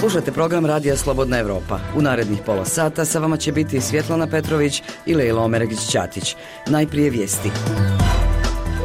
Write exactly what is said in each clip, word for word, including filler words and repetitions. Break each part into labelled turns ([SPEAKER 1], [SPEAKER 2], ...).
[SPEAKER 1] Slušate program Radija Slobodna Evropa. U narednih pola sata sa vama će biti Svjetlana Petrović i Lejla Omeregić-Ćatić. Najprije vijesti.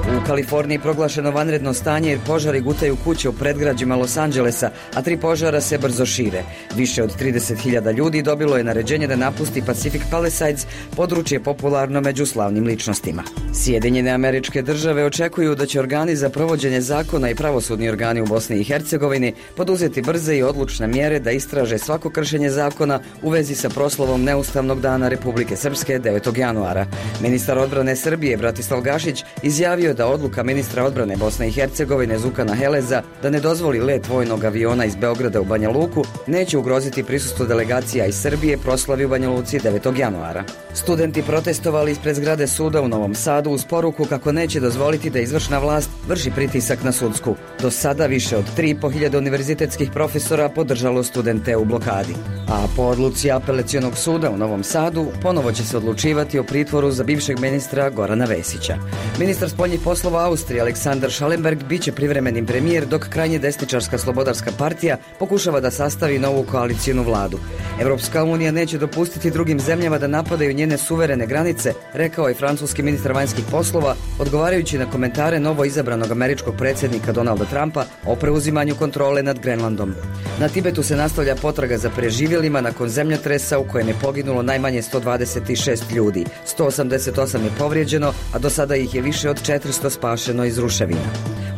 [SPEAKER 1] U Kaliforniji proglašeno vanredno stanje jer požari gutaju kuće u predgrađima Los Angelesa, a tri požara se brzo šire. Više od trideset hiljada ljudi dobilo je naređenje da napusti Pacific Palisades, područje popularno među slavnim ličnostima. Sjedinjene Američke Države očekuju da će organi za provođenje zakona i pravosudni organi u Bosni i Hercegovini poduzeti brze i odlučne mjere da istraže svako kršenje zakona u vezi sa proslavom Neustavnog dana Republike Srpske devetog januara. Ministar odbrane Srbije Bratislav Gašić izjavio da odluka ministra odbrane Bosne i Hercegovine Zukana Heleza da ne dozvoli let vojnog aviona iz Beograda u Banja Luku neće ugroziti prisustvo delegacija iz Srbije proslavi u Banja Luci devetog januara. Studenti protestovali ispred zgrade suda u Novom Sadu uz poruku kako neće dozvoliti da izvršna vlast vrši pritisak na sudsku. Do sada više od tri i po hiljade univerzitetskih profesora podržalo studente u blokadi. A po odluci apelacionog suda u Novom Sadu ponovo će se odlučivati o pritvoru za bivšeg ministra Gorana Vesića. Ministar spoljnih poslova Austrije Aleksandar Schallenberg biće privremenim premijer dok krajnje desničarska Slobodarska partija pokušava da sastavi novu koalicijnu vladu. Evropska unija neće dopustiti drugim zemljama da napadaju njene suverene granice, rekao je francuski ministar vanjskih poslova, odgovarajući na komentare novo izabranog američkog predsjednika Donalda Trumpa o preuzimanju kontrole nad Grenlandom. Na Tibetu se nastavlja potraga za preživjelima nakon zemljotresa u kojem je poginulo najmanje sto dvadeset šest ljudi, sto osamdeset osam je povrijeđeno, a do sada ih je više od četiristo spašeno iz ruševina.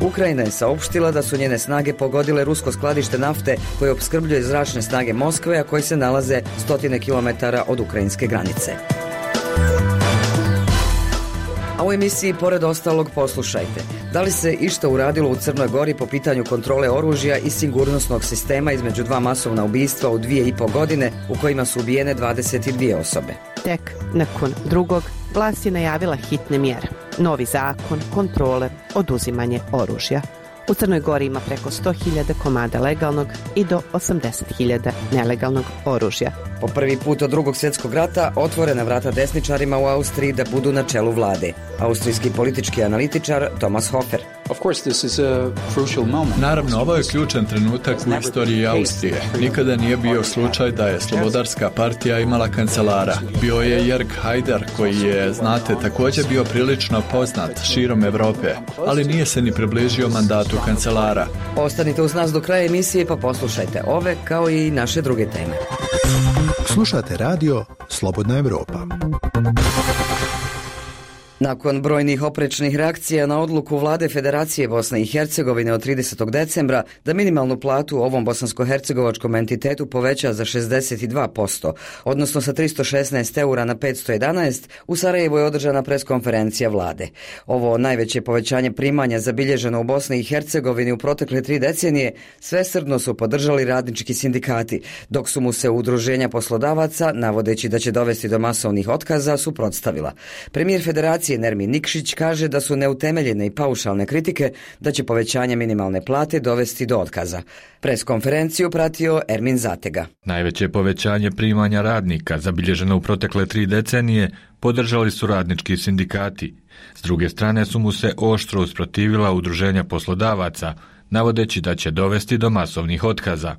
[SPEAKER 1] Ukrajina je saopštila da su njene snage pogodile rusko skladište nafte koje opskrbljuje zračne snage Moskve, a koje se nalaze stotine kilometara od ukrajinske granice. A u emisiji pored ostalog poslušajte. Da li se išta uradilo u Crnoj Gori po pitanju kontrole oružja i sigurnosnog sistema između dva masovna ubistva u dvije i po godine u kojima su ubijene dvadeset dvije osobe?
[SPEAKER 2] Tek nakon drugog vlast je najavila hitne mjere. Novi zakon, kontrole, oduzimanje oružja. U Crnoj Gori ima preko sto hiljada komada legalnog i do osamdeset hiljada nelegalnog oružja.
[SPEAKER 1] Po prvi put od drugog svjetskog rata otvorena vrata desničarima u Austriji da budu na čelu vlade. Austrijski politički analitičar Thomas Hofer.
[SPEAKER 3] Naravno, ovo je ključan trenutak u istoriji Austrije. Nikada nije bio slučaj da je Slobodarska partija imala kancelara. Bio je Jörg Haider, koji je, znate, također bio prilično poznat širom Europe, ali nije se ni približio mandatu kancelara.
[SPEAKER 1] Ostanite uz nas do kraja emisije pa poslušajte ove kao i naše druge teme.
[SPEAKER 4] Slušate radio Slobodna Evropa.
[SPEAKER 1] Nakon brojnih oprečnih reakcija na odluku vlade Federacije Bosne i Hercegovine od tridesetog decembra da minimalnu platu u ovom bosansko-hercegovačkom entitetu poveća za šezdeset dva posto, odnosno sa tristo šesnaest eura na petsto jedanaest, u Sarajevu je održana preskonferencija vlade. Ovo najveće povećanje primanja zabilježeno u Bosni i Hercegovini u protekle tri decenije svesrdno su podržali radnički sindikati, dok su mu se udruženja poslodavaca, navodeći da će dovesti do masovnih otkaza, suprotstavila. Premijer Federacije Nermin Nikšić kaže da su neutemeljene i paušalne kritike da će povećanje minimalne plate dovesti do otkaza. Preskonferenciju pratio Ermin Zatega.
[SPEAKER 5] Najveće povećanje primanja radnika zabilježeno u protekle tri decenije podržali su radnički sindikati. S druge strane su mu se oštro usprotivila udruženja poslodavaca, navodeći da će dovesti do masovnih otkaza.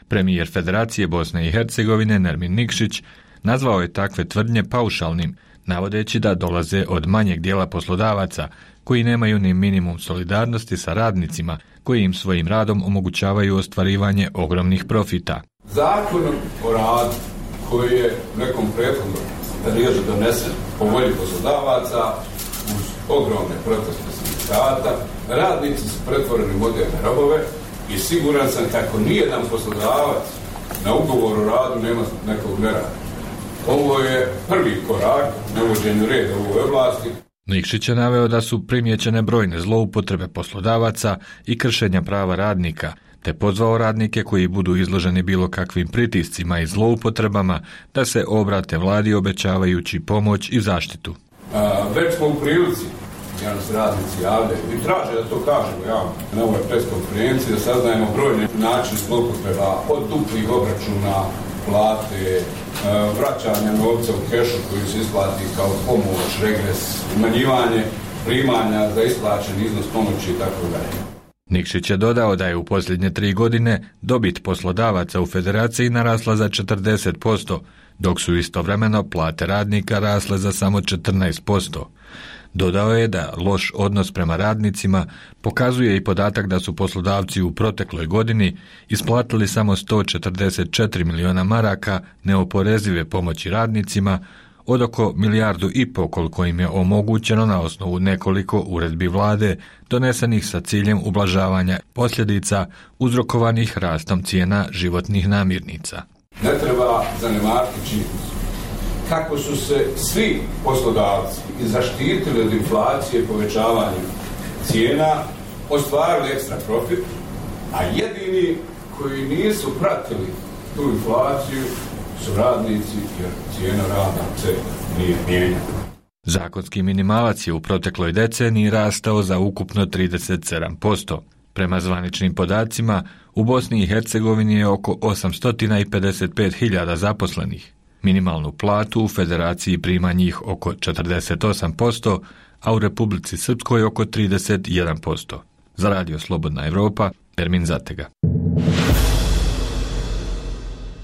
[SPEAKER 5] Premijer Federacije Bosne i Hercegovine Nermin Nikšić nazvao je takve tvrdnje paušalnim, navodeći da dolaze od manjeg dijela poslodavaca koji nemaju ni minimum solidarnosti sa radnicima koji im svojim radom omogućavaju ostvarivanje ogromnih profita.
[SPEAKER 6] Zakonom o radu koji je nekom prethodnom periodu donesen po volji poslodavaca uz ogromne proteste sindikata, radnici su pretvoreni u moderne robove i siguran sam kako nijedan poslodavac na ugovor o radu nema nekog nerada. Ovo je prvi korak na uvođenju reda u ovoj oblasti.
[SPEAKER 5] Nikšić je naveo da su primijećene brojne zloupotrebe poslodavaca i kršenja prava radnika, te pozvao radnike koji budu izloženi bilo kakvim pritiscima i zloupotrebama da se obrate vladi obećavajući pomoć i zaštitu.
[SPEAKER 6] A, već smo u prilici, ja nas radnici javljaju i traže da to kažemo javno na ovoj preskonferenciji, da saznajemo brojne načine zloupotreba od duplih obračuna, plate, vraćanja novca u kešu koji se isplati kao pomoć, regres, umanjivanje primanja za isplaćen iznos pomoći i tako dalje.
[SPEAKER 5] Nikšić je dodao da je u posljednje tri godine dobit poslodavaca u federaciji narasla za četrdeset posto, dok su istovremeno plate radnika rasle za samo četrnaest posto. Dodao je da loš odnos prema radnicima pokazuje i podatak da su poslodavci u protekloj godini isplatili samo sto četrdeset četiri miliona maraka neoporezive pomoći radnicima, od oko milijardu i pol koliko im je omogućeno na osnovu nekoliko uredbi vlade donesenih sa ciljem ublažavanja posljedica uzrokovanih rastom cijena životnih namirnica.
[SPEAKER 6] Ne treba zanemariti činjenicu kako su se svi poslodavci i zaštitili od inflacije povećavanjem cijena, ostvarili ekstra profit, a jedini koji nisu pratili tu inflaciju su radnici, jer cijena rada se nije mijenjala.
[SPEAKER 5] Zakonski minimalac je u protekloj deceniji rastao za ukupno trideset sedam posto. Prema zvaničnim podacima, u Bosni i Hercegovini je oko osamsto pedeset pet hiljada zaposlenih. Minimalnu platu u federaciji prima njih oko četrdeset osam posto, a u Republici Srpskoj oko trideset jedan posto. Za Radio Slobodna Evropa, Ermin Zatega.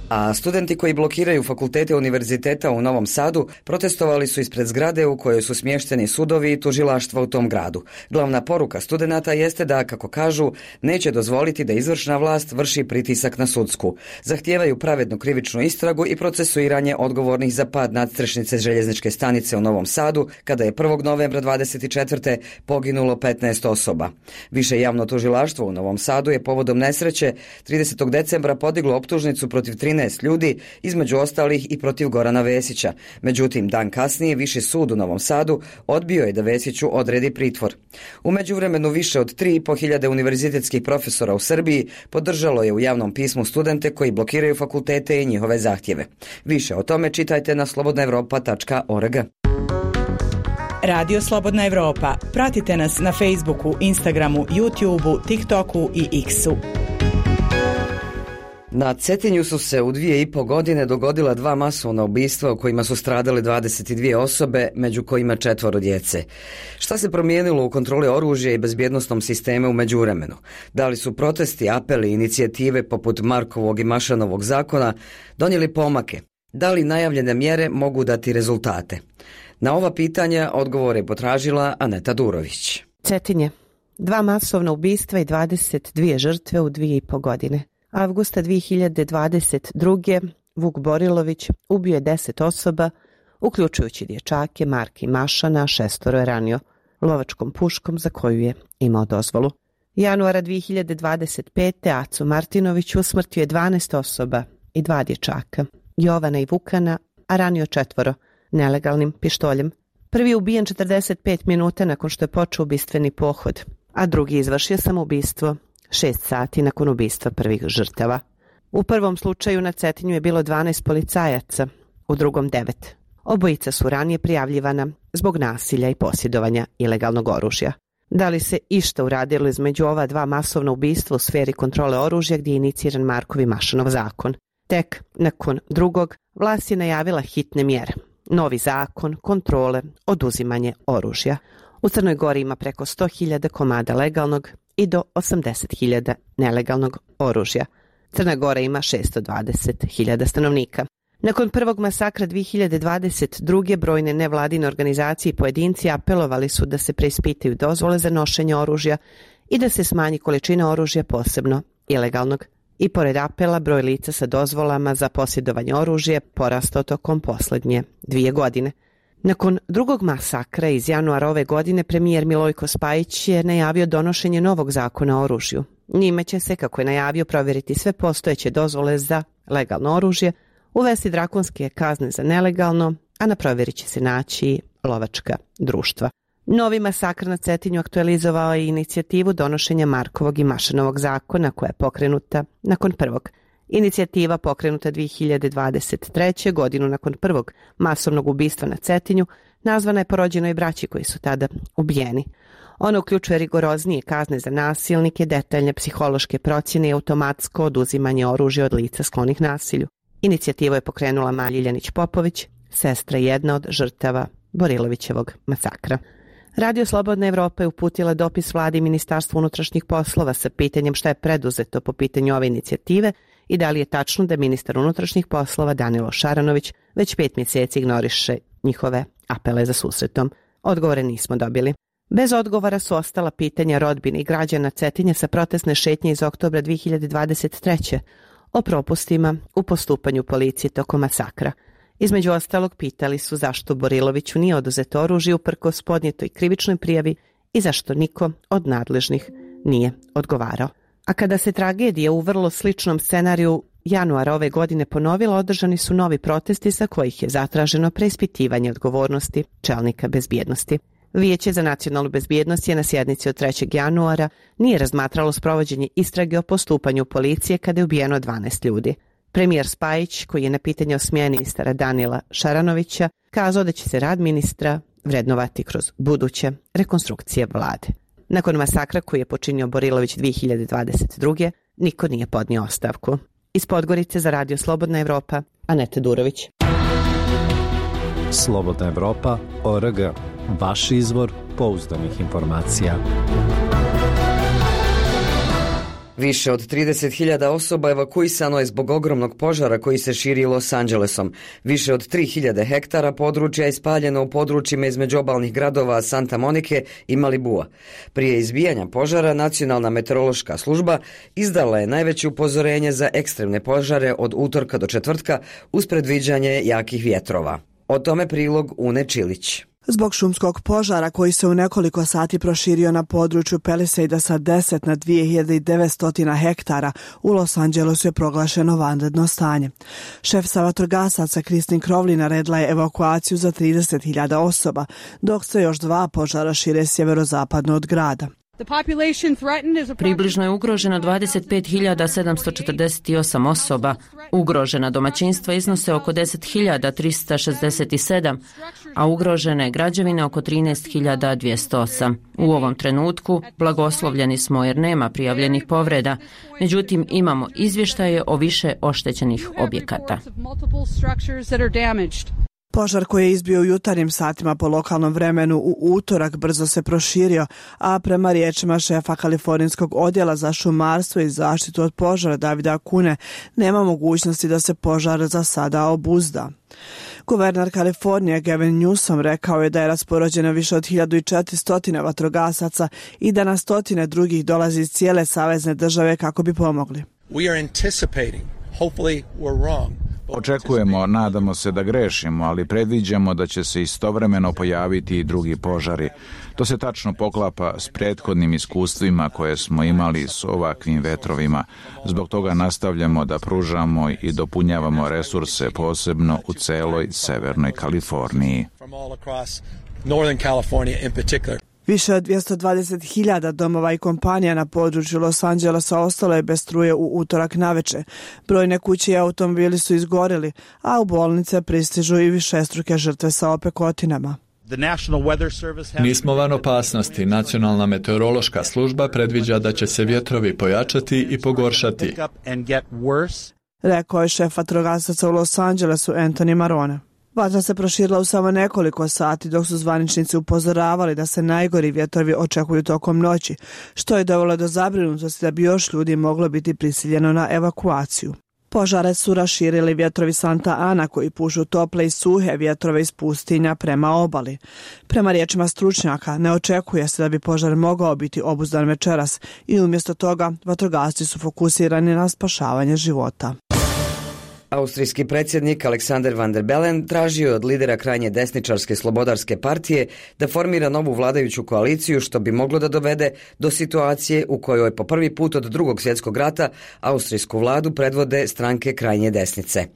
[SPEAKER 1] A studenti koji blokiraju fakultete univerziteta u Novom Sadu protestovali su ispred zgrade u kojoj su smješteni sudovi i tužilaštva u tom gradu. Glavna poruka studenata jeste da, kako kažu, neće dozvoliti da izvršna vlast vrši pritisak na sudsku. Zahtijevaju pravednu krivičnu istragu i procesuiranje odgovornih za pad nadstrešnice željezničke stanice u Novom Sadu, kada je prvog novembra dvadeset četvrte poginulo petnaest osoba. Više javno tužilaštvo u Novom Sadu je povodom nesreće tridesetog decembra podiglo optužnicu protiv trinaest ljudi, između ostalih i protiv Gorana Vesića. Međutim, dan kasnije Viši sud u Novom Sadu odbio je da Vesiću odredi pritvor. U međuvremenu više od tri i po hiljade univerzitetskih profesora u Srbiji podržalo je u javnom pismu studente koji blokiraju fakultete i njihove zahtjeve. Više o tome čitajte na slobodna evropa tačka org.
[SPEAKER 7] Radio Slobodna Evropa. Pratite nas na Facebooku, Instagramu, YouTubeu, TikToku i X-u.
[SPEAKER 1] Na Cetinju su se u dvije i po godine dogodila dva masovna ubistva u kojima su stradale dvadeset dvije osobe, među kojima četvoro djece. Šta se promijenilo u kontroli oružja i bezbjednostnom sistemu u međuvremenu? Da li su protesti, apeli, inicijative poput Markovog i Mašanovog zakona donijeli pomake? Da li najavljene mjere mogu dati rezultate? Na ova pitanja odgovore je potražila Aneta Durović.
[SPEAKER 2] Cetinje. Dva masovna ubistva i dvadeset dvije žrtve u dvije i po godine. Avgusta dvije hiljade dvadeset druge. Vuk Borilović ubio je deset osoba, uključujući dječake Marka i Mašana, šestoro je ranio lovačkom puškom za koju je imao dozvolu. Januara dvije hiljade dvadeset pete. Aco Martinović usmrtio je dvanaest osoba i dva dječaka, Jovana i Vukana, a ranio četvoro nelegalnim pištoljem. Prvi je ubijen četrdeset pet minuta nakon što je počeo ubistveni pohod, a drugi izvršio samoubistvo šest sati nakon ubistva prvih žrtava. U prvom slučaju na Cetinju je bilo dvanaest policajaca, u drugom devet. Obojica su ranije prijavljivana zbog nasilja i posjedovanja ilegalnog oružja. Da li se išta uradilo između ova dva masovna ubistva u sferi kontrole oružja gdje je iniciran Markov i Mašanov zakon? Tek nakon drugog vlast je najavila hitne mjere. Novi zakon, kontrole, oduzimanje oružja. U Crnoj Gori ima preko sto hiljada komada legalnog i do osamdeset hiljada nelegalnog oružja. Crna Gora ima šesto dvadeset hiljada stanovnika. Nakon prvog masakra dvije hiljade dvadeset druge. brojne nevladine organizacije i pojedinci apelovali su da se preispitaju dozvole za nošenje oružja i da se smanji količina oružja, posebno ilegalnog. I pored apela, broj lica sa dozvolama za posjedovanje oružja porastao tokom posljednje dvije godine. Nakon drugog masakra iz januara ove godine, premijer Milojko Spajić je najavio donošenje novog zakona o oružju. Njime će se, kako je najavio, provjeriti sve postojeće dozvole za legalno oružje, uvesti drakonske kazne za nelegalno, a na provjeri će se naći lovačka društva. Novi masakr na Cetinju aktualizovao je inicijativu donošenja Markovog i Mašanovog zakona koja je pokrenuta nakon prvog. Inicijativa pokrenuta dvije hiljade dvadeset treće. godinu nakon prvog masovnog ubistva na Cetinju, nazvana je po rođenoj braći koji su tada ubijeni. Ona uključuje rigoroznije kazne za nasilnike, detaljne psihološke procjene i automatsko oduzimanje oružja od lica sklonih nasilju. Inicijativu je pokrenula Maja Ljiljanić Popović, sestra jedna od žrtava Borilovićevog masakra. Radio Slobodna Evropa je uputila dopis vladi i Ministarstvu unutrašnjih poslova sa pitanjem šta je preduzeto po pitanju ove inicijative i da li je tačno da ministar unutrašnjih poslova Danilo Šaranović već pet mjeseci ignoriše njihove apele za susretom. Odgovore nismo dobili. Bez odgovora su ostala pitanja rodbine i građana Cetinja sa protestne šetnje iz oktobra dvije hiljade dvadeset treće o propustima u postupanju policije tokom masakra. Između ostalog pitali su zašto Boriloviću nije oduzeto oružje uprkos podnijetoj krivičnoj prijavi i zašto niko od nadležnih nije odgovarao. A kada se tragedija u vrlo sličnom scenariju januara ove godine ponovila, održani su novi protesti za kojih je zatraženo preispitivanje odgovornosti čelnika bezbjednosti. Vijeće za nacionalnu bezbjednost je na sjednici od trećeg januara nije razmatralo sprovođenje istrage o postupanju policije kada je ubijeno dvanaest ljudi. Premijer Spajić, koji je na pitanje o smjeni ministara Danila Šaranovića, kazao da će se rad ministra vrednovati kroz buduće rekonstrukcije vlade. Nakon masakra koji je počinio Borilović dvije hiljade dvadeset druge. niko nije podnio ostavku. Iz Podgorice za Radio Slobodna Evropa, Aneta Durović.
[SPEAKER 8] Slobodna Evropa, O R G. Vaš izvor pouzdanih informacija.
[SPEAKER 1] Više od trideset hiljada osoba evakuisano je zbog ogromnog požara koji se širi Los Angelesom. Više od tri hiljade hektara područja je spaljeno u područjima između obalnih gradova Santa Monike i Malibua. Prije izbijanja požara Nacionalna meteorološka služba izdala je najveće upozorenje za ekstremne požare od utorka do četvrtka uz predviđanje jakih vjetrova. O tome prilog Une Čilić.
[SPEAKER 9] Zbog šumskog požara koji se u nekoliko sati proširio na području Palisada sa deset na dvije hiljade devetsto hektara, u Los Angelesu je proglašeno vanredno stanje. Šef sa vatrogasaca Kristin Crowley naredila je evakuaciju za trideset hiljada osoba, dok se još dva požara šire sjeverozapadno od grada.
[SPEAKER 10] Približno je ugroženo dvadeset pet hiljada sedamsto četrdeset osam osoba. Ugrožena domaćinstva iznose oko deset hiljada trista šezdeset sedam, a ugrožene građevine oko trinaest hiljada dvjesto osam. U ovom trenutku blagoslovljeni smo jer nema prijavljenih povreda, međutim imamo izvještaje o više oštećenih objekata.
[SPEAKER 9] Požar koji je izbio u jutarnjim satima po lokalnom vremenu u utorak brzo se proširio, a prema riječima šefa kalifornijskog odjela za šumarstvo i zaštitu od požara Davida Akune nema mogućnosti da se požar za sada obuzda. Guverner Kalifornije Gavin Newsom rekao je da je raspoređeno više od hiljadu četiristo vatrogasaca i da na stotine drugih dolazi iz cijele savezne države kako bi pomogli.
[SPEAKER 11] We are anticipating, hopefully we're wrong.
[SPEAKER 12] Očekujemo, nadamo se da grešimo, ali predviđamo da će se istovremeno pojaviti i drugi požari. To se tačno poklapa s prethodnim iskustvima koje smo imali s ovakvim vetrovima. Zbog toga nastavljamo da pružamo i dopunjavamo resurse, posebno u celoj Severnoj Kaliforniji.
[SPEAKER 9] Više od dvjesto dvadeset hiljada domova i kompanija na području Los Angelesa ostalo je bez struje u utorak naveče. Brojne kuće i automobili su izgorili, a u bolnice pristižu i višestruke žrtve sa opekotinama.
[SPEAKER 3] Nismo van opasnosti. Nacionalna meteorološka služba predviđa da će se vjetrovi pojačati i pogoršati,
[SPEAKER 9] rekao je šef vatrogasaca u Los Angelesu Anthony Marone. Vatra se proširila u samo nekoliko sati dok su zvaničnici upozoravali da se najgori vjetrovi očekuju tokom noći, što je dovelo do zabrinutosti da bi još ljudi moglo biti prisiljeno na evakuaciju. Požare su raširili vjetrovi Santa Ana koji pušu tople i suhe vjetrove iz pustinja prema obali. Prema riječima stručnjaka ne očekuje se da bi požar mogao biti obuzdan večeras i umjesto toga vatrogasci su fokusirani na spašavanje života.
[SPEAKER 1] Austrijski predsjednik Alexander Van der Bellen tražio je od lidera krajnje desničarske slobodarske partije da formira novu vladajuću koaliciju što bi moglo da dovede do situacije u kojoj po prvi put od drugog svjetskog rata austrijsku vladu predvode stranke krajnje desnice.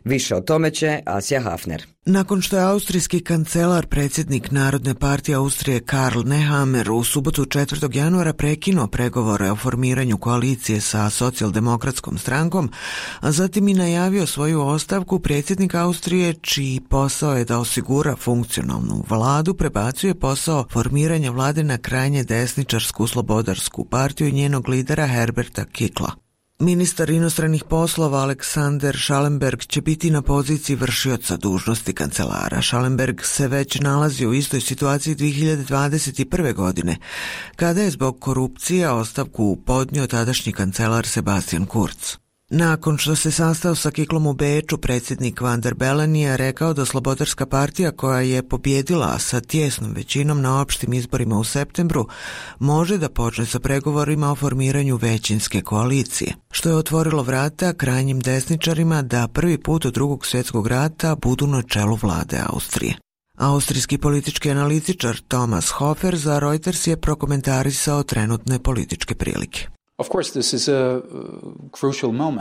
[SPEAKER 1] Više o tome će Asja Hafner.
[SPEAKER 13] Nakon što je austrijski kancelar, predsjednik Narodne partije Austrije Karl Nehammer u subotu četvrtog januara prekinuo pregovore o formiranju koalicije sa socijaldemokratskom strankom, a zatim i najavio svoju ostavku, predsjednik Austrije, čiji posao je da osigura funkcionalnu vladu, prebacuje posao formiranja vlade na krajnje desničarsku slobodarsku partiju i njenog lidera Herberta Kickla. Ministar inostranih poslova Aleksander Schallenberg će biti na poziciji vršioca dužnosti kancelara. Schallenberg se već nalazi u istoj situaciji dvije hiljade dvadeset prve. godine, kada je zbog korupcije ostavku podnio tadašnji kancelar Sebastian Kurz. Nakon što se sastao sa Kiklom u Beču, predsjednik Van der Bellen je rekao da Slobodarska partija, koja je pobjedila sa tijesnom većinom na opštim izborima u septembru, može da počne sa pregovorima o formiranju većinske koalicije, što je otvorilo vrata krajnjim desničarima da prvi put od drugog svjetskog rata budu na čelu vlade Austrije. Austrijski politički analitičar Thomas Hofer za Reuters je prokomentarisao trenutne političke prilike.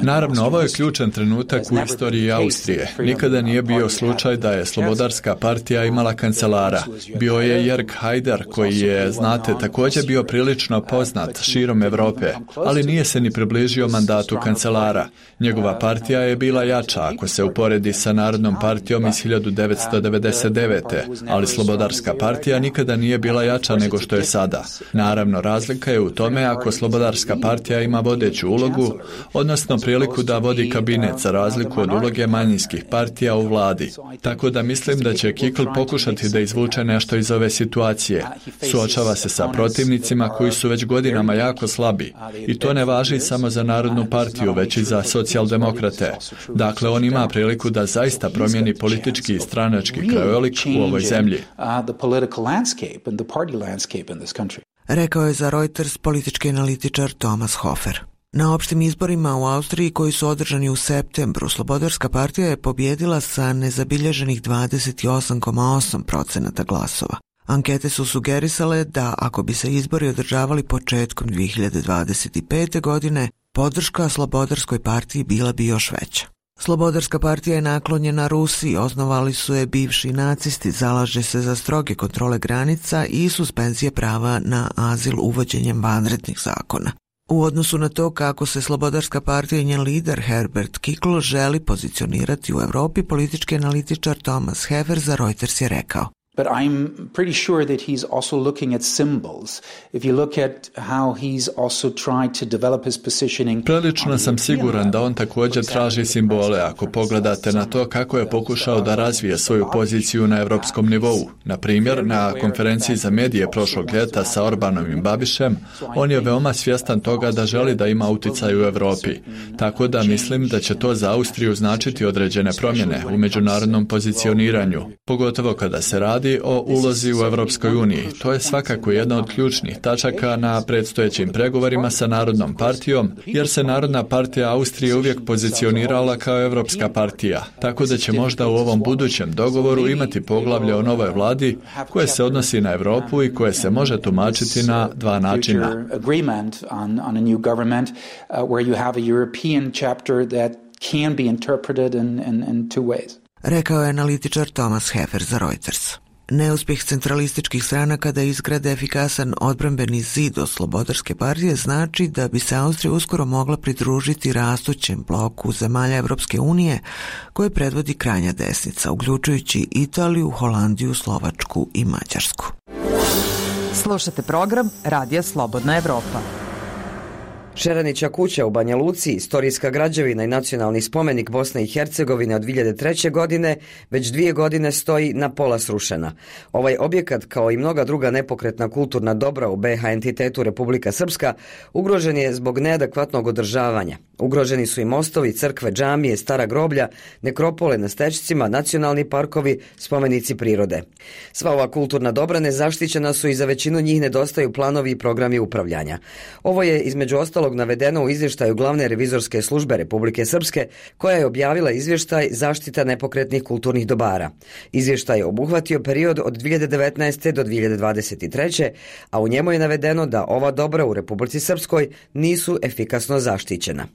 [SPEAKER 3] Naravno, ovo je ključan trenutak u istoriji Austrije. Nikada nije bio slučaj da je Slobodarska partija imala kancelara. Bio je Jörg Haider, koji je, znate, također bio prilično poznat širom Europe, ali nije se ni približio mandatu kancelara. Njegova partija je bila jača ako se uporedi sa Narodnom partijom iz hiljadu devetsto devedeset devete. ali Slobodarska partija nikada nije bila jača nego što je sada. Naravno, razlika je u tome ako Slobodarska partija ima vodeću ulogu, odnosno priliku da vodi kabinet za razliku od uloge manjinskih partija u vladi. Tako da mislim da će Kikl pokušati da izvuče nešto iz ove situacije. Suočava se sa protivnicima koji su već godinama jako slabi. I to ne važi samo za Narodnu partiju, već i za socijaldemokrate. Dakle, on ima priliku da zaista promijeni politički i stranački krajolik u ovoj zemlji.
[SPEAKER 13] Rekao je za Reuters politički analitičar Thomas Hofer. Na opštim izborima u Austriji koji su održani u septembru, Slobodarska partija je pobjedila sa nezabilježenih dvadeset osam zarez osam procenata glasova. Ankete su sugerisale da ako bi se izbori održavali početkom dvije hiljade dvadeset pete. godine, podrška Slobodarskoj partiji bila bi još veća. Slobodarska partija je naklonjena Rusiji, osnovali su je bivši nacisti, zalaže se za stroge kontrole granica i suspenzije prava na azil uvođenjem vanrednih zakona. U odnosu na to kako se Slobodarska partija i njen lider Herbert Kickl želi pozicionirati u Europi, politički analitičar Thomas Hefer za Reuters je rekao:
[SPEAKER 14] But I'm pretty sure that he's also looking at symbols. If you look at how he's also tried to develop his positioning.
[SPEAKER 3] Prilično sam siguran da on također traži simbole ako pogledate na to kako je pokušao da razvije svoju poziciju na europskom nivou. Na primjer, na konferenciji za medije prošlog ljeta sa Orbanom i Babišem, on je veoma svjestan toga da želi da ima utjecaj u Europi. Tako da mislim da će to za Austriju značiti određene promjene u međunarodnom pozicioniranju, pogotovo kada se radi o ulozi u Europskoj uniji. To je svakako jedna od ključnih tačaka na predstojećim pregovorima sa Narodnom partijom, jer se Narodna partija Austrije uvijek pozicionirala kao Europska partija, tako da će možda u ovom budućem dogovoru imati poglavlje o novoj vladi koje se odnosi na Europu i koje se može tumačiti na dva načina.
[SPEAKER 13] Rekao je analitičar Thomas Hefer za Reuters. Neuspjeh centralističkih stranaka da izgrade efikasan odbrambeni zid od Slobodarske partije znači da bi se Austrija uskoro mogla pridružiti rastućem bloku zemalja Evropske unije koje predvodi krajnja desnica, uključujući Italiju, Holandiju, Slovačku i Mađarsku.
[SPEAKER 15] Slušate program Radija Slobodna Evropa.
[SPEAKER 1] Šeranića kuća u Banja Luci, istorijska građevina i nacionalni spomenik Bosne i Hercegovine od dvije hiljade treće. godine, već dvije godine stoji na pola srušena. Ovaj objekat, kao i mnoga druga nepokretna kulturna dobra u B iH entitetu Republika Srpska, ugrožen je zbog neadekvatnog održavanja. Ugroženi su i mostovi, crkve, džamije, stara groblja, nekropole na Stećcima, nacionalni parkovi, spomenici prirode. Sva ova kulturna dobra nezaštićena su i za većinu njih nedostaju planovi i programi upravljanja. Ovo je između ostalog navedeno u izvještaju Glavne revizorske službe Republike Srpske, koja je objavila izvještaj Zaštita nepokretnih kulturnih dobara. Izvještaj je obuhvatio period od dvije hiljade devetnaeste. do dvije hiljade dvadeset treće. a u njemu je navedeno da ova dobra u Republici Srpskoj nisu efikasno zaštićena.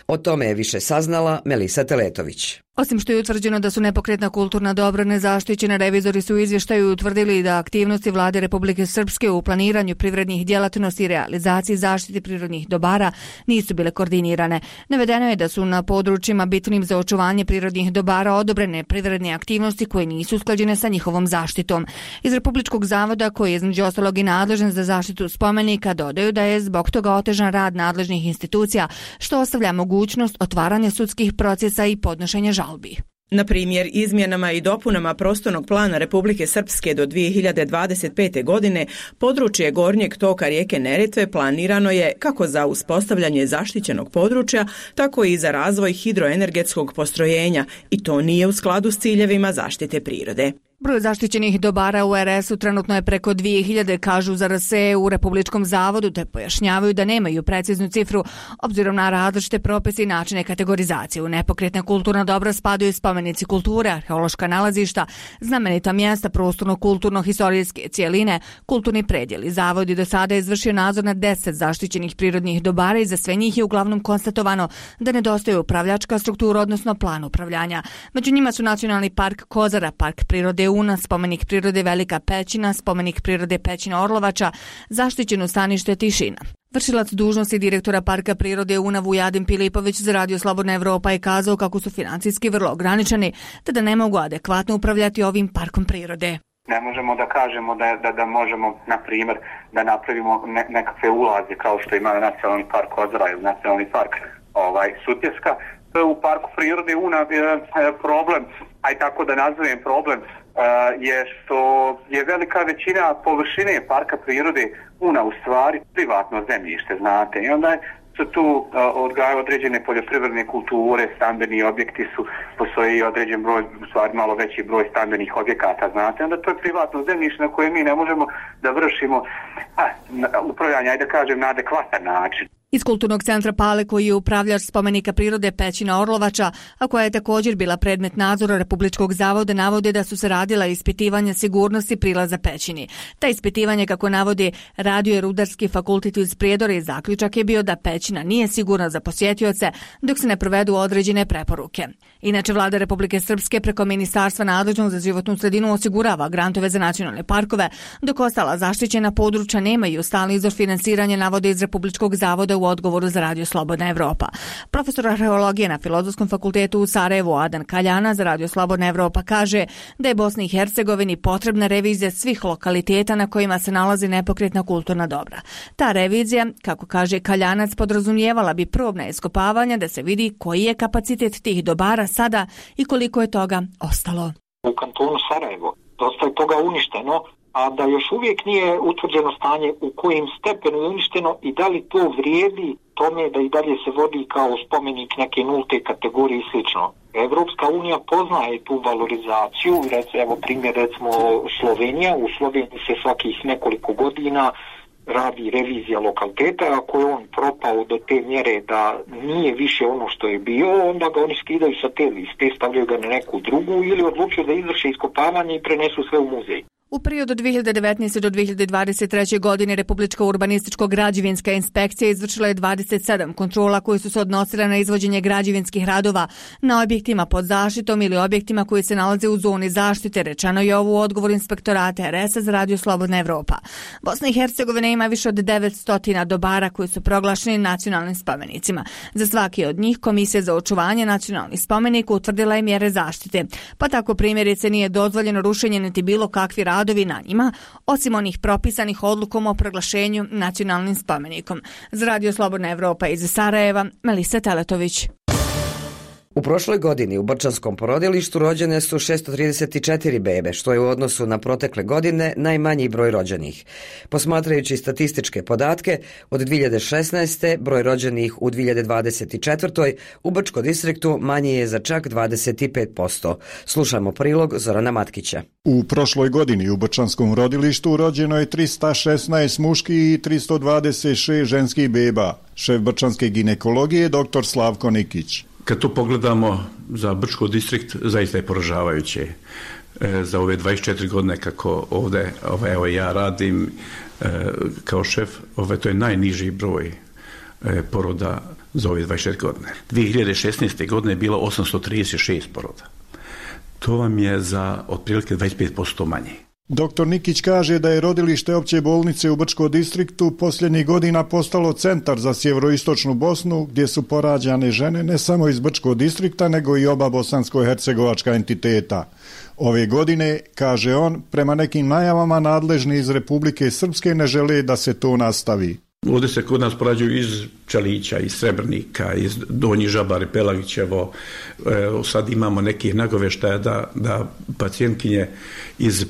[SPEAKER 1] O tome je više saznala Melisa Teletović.
[SPEAKER 16] Osim što je utvrđeno da su nepokretna kulturna dobra nezaštićena, revizori su u izvještaju utvrdili da aktivnosti Vlade Republike Srpske u planiranju privrednih djelatnosti i realizaciji zaštite prirodnih dobara nisu bile koordinirane. Navedeno je da su na područjima bitnim za očuvanje prirodnih dobara odobrene privredne aktivnosti koje nisu usklađene sa njihovom zaštitom. Iz Republičkog zavoda, koji je između ostalog i nadležan za zaštitu spomenika, dodaju da je zbog toga otežan rad nadležnih institucija, što ostavlja mogućnost otvaranja sudskih procesa i podnošenja žalbi.
[SPEAKER 7] Na primjer, izmjenama i dopunama prostornog plana Republike Srpske do dvije hiljade dvadeset pete. godine područje gornjeg toka rijeke Neretve planirano je kako za uspostavljanje zaštićenog područja, tako i za razvoj hidroenergetskog postrojenja i to nije u skladu s ciljevima zaštite prirode.
[SPEAKER 16] Broj zaštićenih dobara u er es u trenutno je preko dvije hiljade, kažu za er es e u Republičkom zavodu, te pojašnjavaju da nemaju preciznu cifru obzirom na različite propise i načine kategorizacije. U nepokretna kulturna dobra spadaju spomenici kulture, arheološka nalazišta, znamenita mjesta, prostorno-kulturno-historijske cijeline, kulturni predjeli. Zavod je do sada izvršio nadzor na deset zaštićenih prirodnih dobara i za sve njih je uglavnom konstatovano da nedostaje upravljačka struktura, odnosno plan upravljanja. Među njima su Nacionalni park Kozara, Park prirode Una, spomenik prirode Velika Pećina, spomenik prirode Pećina Orlovača, zaštićeno stanište Tišina. Vršilac dužnosti direktora Parka prirode Una Vujadin Pilipović za Radio Slobodna Evropa je kazao kako su financijski vrlo ograničeni, te da ne mogu adekvatno upravljati ovim parkom prirode.
[SPEAKER 17] Ne možemo da kažemo da, da, da možemo, na primjer, da napravimo ne, nekakve ulaze kao što ima Nacionalni park Kozara ili Nacionalni park ovaj, Sutjeska. U parku prirode Una je problem, aj tako da nazovem problem, je što je velika većina površine parka prirode Una u stvari privatno zemljište, znate. I onda su tu odgajaju određene poljoprivredne kulture, stambeni objekti su, postoji određen broj, u stvari malo veći broj stambenih objekata, znate. Onda to je privatno zemljište na koje mi ne možemo da vršimo a, upravljanje, ajde da kažem, na adekvatan način.
[SPEAKER 16] Iz Kulturnog centra Pale, koji je upravljač spomenika prirode Pećina Orlovača, a koja je također bila predmet nadzora Republičkog zavoda, navode da su se radila ispitivanja sigurnosti prilaza Pećini. Ta ispitivanje, kako navodi Radio Rudarski fakultet iz Prijedora, i zaključak je bio da Pećina nije sigurna za posjetioce dok se ne provedu određene preporuke. Inače, Vlada Republike Srpske preko Ministarstva nadležnog za životnu sredinu osigurava grantove za nacionalne parkove, dok ostala zaštićena područja nemaju stalni izvor finansiranja, navode iz Republičkog zavoda u odgovoru za Radio Slobodna Evropa. Profesor arheologije na Filozofskom fakultetu u Sarajevu Adan Kaljana za Radio Slobodna Evropa kaže da je Bosni i Hercegovini potrebna revizija svih lokaliteta na kojima se nalazi nepokretna kulturna dobra. Ta revizija, kako kaže Kaljanac, podrazumijevala bi probna iskopavanja da se vidi koji je kapacitet tih dobara sada i koliko je toga ostalo.
[SPEAKER 18] U kantonu Sarajevo dosta je toga uništeno, a da još uvijek nije utvrđeno stanje u kojim stepenu je uništeno i da li to vrijedi tome da i dalje se vodi kao spomenik neke nulte kategorije i slično. Evropska unija poznaje tu valorizaciju, evo primjer recimo Slovenija, u Sloveniji se svakih nekoliko godina radi revizija lokaliteta, ako je on propao do te mjere da nije više ono što je bio, onda ga oni skidaju sa te liste, stavljaju ga na neku drugu ili odlučuju da izvrše iskopavanje i prenesu sve u muzej.
[SPEAKER 16] U periodu od dvije hiljade devetnaeste. do dvije hiljade dvadeset treće. godine Republička urbanističko-građevinska inspekcija izvršila je dvadeset sedam kontrola koje su se odnosile na izvođenje građevinskih radova na objektima pod zaštitom ili objektima koji se nalaze u zoni zaštite, rečeno je ovo u odgovoru inspektorata er es a za Radio Slobodna Evropa. Bosna i Hercegovina ima više od devetsto dobara koji su proglašeni nacionalnim spomenicima. Za svaki od njih Komisija za očuvanje nacionalnih spomenika utvrdila je mjere zaštite, pa tako primjerice nije dozvoljeno rušenje niti bilo kakvi radovi na njima, osim onih propisanih odlukom o proglašenju nacionalnim spomenikom. Za Radio Slobodna Evropa iz Sarajeva, Melisa Teletović.
[SPEAKER 1] U prošloj godini u Brčanskom porodilištu rođene su šesto trideset četiri bebe, što je u odnosu na protekle godine najmanji broj rođenih. Posmatrajući statističke podatke, od dvije hiljade šesnaeste. broj rođenih u dvije hiljade dvadeset četvrtoj. u Brčko distriktu manji je za čak dvadeset pet posto. Slušamo prilog Zorana Matkića.
[SPEAKER 19] U prošloj godini u Brčanskom rodilištu rođeno je trista šesnaest muških i tristo dvadeset šest ženskih beba. Šef brčanske ginekologije dr. Slavko Nikić.
[SPEAKER 20] Kad to pogledamo za Brčko distrikt, zaista je poražavajuće. E, za ove dvadeset četiri godine kako ovdje ove, evo, ja radim e, kao šef, ove, to je najniži broj. poroda za ove dvadeset četiri godine. dvije hiljade šesnaeste. godine je bilo osamsto trideset šest poroda. To vam je za otprilike dvadeset pet posto manje.
[SPEAKER 19] Doktor Nikić kaže da je rodilište opće bolnice u Brčko distriktu posljednjih godina postalo centar za sjeveroistočnu Bosnu, gdje su porađane žene ne samo iz Brčko distrikta, nego i oba bosansko-hercegovačka entiteta. Ove godine, kaže on, prema nekim najavama nadležni iz Republike Srpske ne žele da se to nastavi.
[SPEAKER 20] Ovdje se kod nas porađuju iz Čalića, iz Srebrnika, iz Donji Žabari, Pelagićevo. E, sad imamo nekih nagoveštaja da, da pacijentkinje iz e,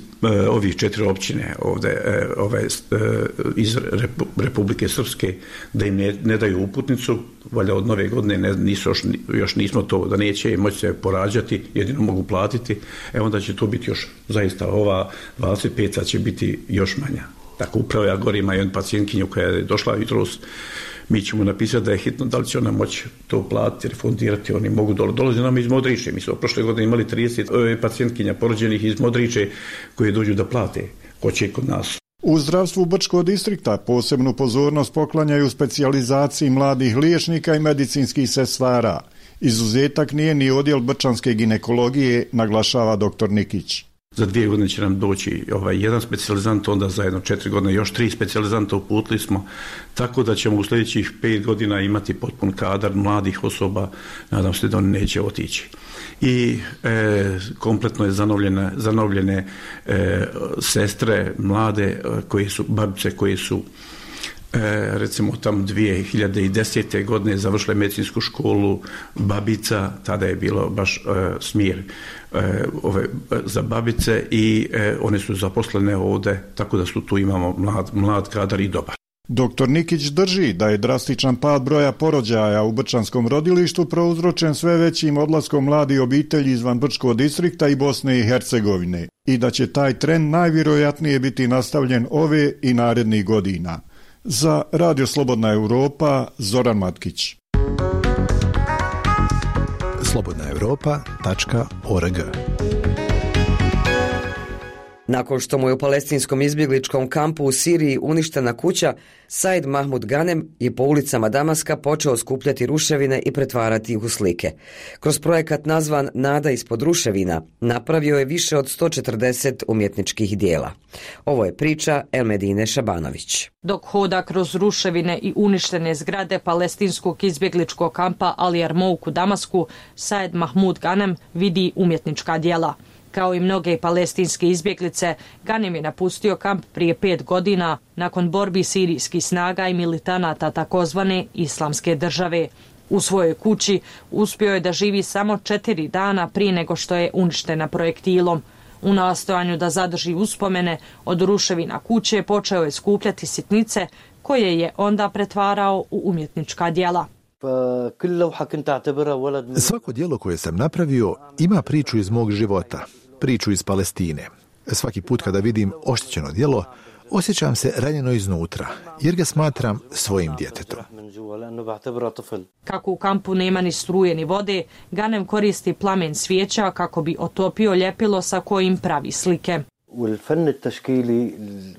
[SPEAKER 20] ovih četiri općine ovdje, e, ove, e, iz Repu, Republike Srpske, da im ne, ne daju uputnicu, valjda od nove godine ne, nisu još, još nismo to, da neće moći se porađati, jedino mogu platiti, e onda će to biti još, zaista ova dvadeset pet će biti još manja. Tako upravo ja gore ima jedan pacijentkinju koja je došla jutros, mi ćemo napisati da je hitno, da li će ona moći to platiti, refundirati, oni mogu dole. Dolaze nam iz Modriče, mi smo prošle godine imali trideset pacijentkinja porođenih iz Modriče koje dođu da plate, hoće kod nas.
[SPEAKER 19] U zdravstvu Brčko distrikta posebnu pozornost poklanjaju specijalizaciji mladih liječnika i medicinskih sestara. Izuzetak nije ni odjel brčanske ginekologije, naglašava doktor Nikić.
[SPEAKER 20] Za dvije godine će nam doći ovaj jedan specijalizant, onda za jedno četiri godine još tri specijalizanta uputili smo, tako da ćemo u sljedećih pet godina imati potpun kadar mladih osoba, nadam se da oni neće otići. I e, kompletno je zanovljene, zanovljene e, sestre mlade koje su, babice koje su E, recimo tamo dvije hiljade desete. godine završile medicinsku školu babica, tada je bilo baš e, smjer e, ove, za babice i e, one su zaposlene ovdje, tako da su tu imamo mlad, mlad kadar i dobar.
[SPEAKER 19] Doktor Nikić drži da je drastičan pad broja porođaja u brčanskom rodilištu prouzročen sve većim odlaskom mladih obitelji izvan Brčkog distrikta i Bosne i Hercegovine i da će taj trend najvjerojatnije biti nastavljen ove i narednih godina. Za Radio Slobodna Europa, Zoran Matkić.
[SPEAKER 4] slobodna europa tačka org.
[SPEAKER 1] Nakon što mu je u palestinskom izbjegličkom kampu u Siriji uništena kuća, Said Mahmud Ganem je po ulicama Damaska počeo skupljati ruševine i pretvarati ih u slike. Kroz projekat nazvan Nada ispod ruševina napravio je više od sto četrdeset umjetničkih dijela. Ovo je priča Elmedine Šabanović.
[SPEAKER 21] Dok hoda kroz ruševine i uništene zgrade palestinskog izbjegličkog kampa Ali Yarmouk u Damasku, Said Mahmud Ganem vidi umjetnička dijela. Kao i mnoge palestinske izbjeglice, Ganem je napustio kamp prije pet godina nakon borbi sirijskih snaga i militanata takozvane Islamske države. U svojoj kući uspio je da živi samo četiri dana prije nego što je uništena projektilom. U nastojanju da zadrži uspomene od ruševina kuće počeo je skupljati sitnice koje je onda pretvarao u umjetnička djela.
[SPEAKER 4] Svako djelo koje sam napravio ima priču iz mog života, priču iz Palestine. Svaki put kada vidim oštećeno djelo, osjećam se ranjeno iznutra, jer ga smatram svojim djetetom.
[SPEAKER 21] Kako u kampu nema ni struje ni vode, Ganem koristi plamen svijeća kako bi otopio ljepilo sa kojim pravi slike.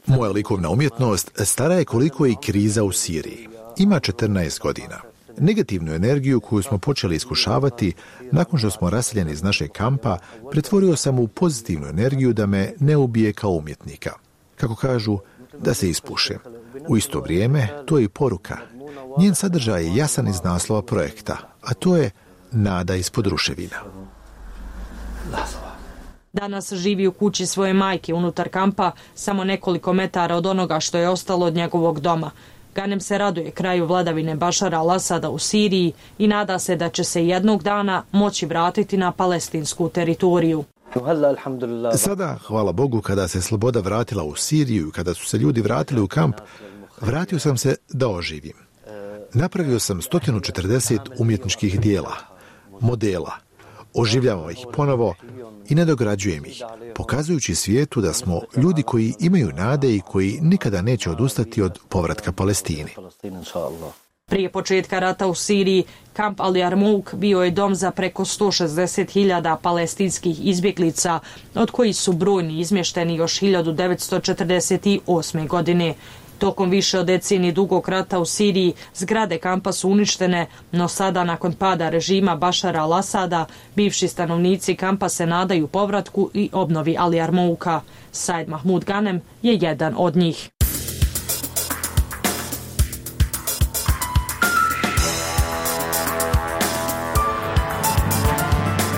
[SPEAKER 4] Moja likovna umjetnost stara je koliko je i kriza u Siriji. Ima četrnaest godina. Negativnu energiju koju smo počeli iskušavati nakon što smo raseljeni iz našeg kampa, pretvorio sam u pozitivnu energiju da me ne ubije kao umjetnika. Kako kažu, da se ispušem. U isto vrijeme, to je i poruka. Njen sadržaj je jasan iz naslova projekta, a to je Nada ispod ruševina.
[SPEAKER 21] Danas živi u kući svoje majke unutar kampa, samo nekoliko metara od onoga što je ostalo od njegovog doma. Ganem se raduje kraju vladavine Bašara al-Asada u Siriji i nada se da će se jednog dana moći vratiti na palestinsku teritoriju.
[SPEAKER 4] Sada, hvala Bogu, kada se sloboda vratila u Siriju i kada su se ljudi vratili u kamp, vratio sam se da oživim. Napravio sam sto četrdeset umjetničkih dijela, modela, oživljavam ih ponovo i nadograđujem ih, pokazujući svijetu da smo ljudi koji imaju nade i koji nikada neće odustati od povratka Palestini.
[SPEAKER 21] Prije početka rata u Siriji, kamp Ali Yarmouk bio je dom za preko sto šezdeset hiljada palestinskih izbjeglica, od kojih su brojni izmješteni još hiljadu devetsto četrdeset osme. godine. Tokom više od decenije dugog rata u Siriji zgrade kampa su uništene, no sada nakon pada režima Bašara al-Asada bivši stanovnici kampa se nadaju povratku i obnovi Ali Armouka. Said Mahmud Ghanem je jedan od njih.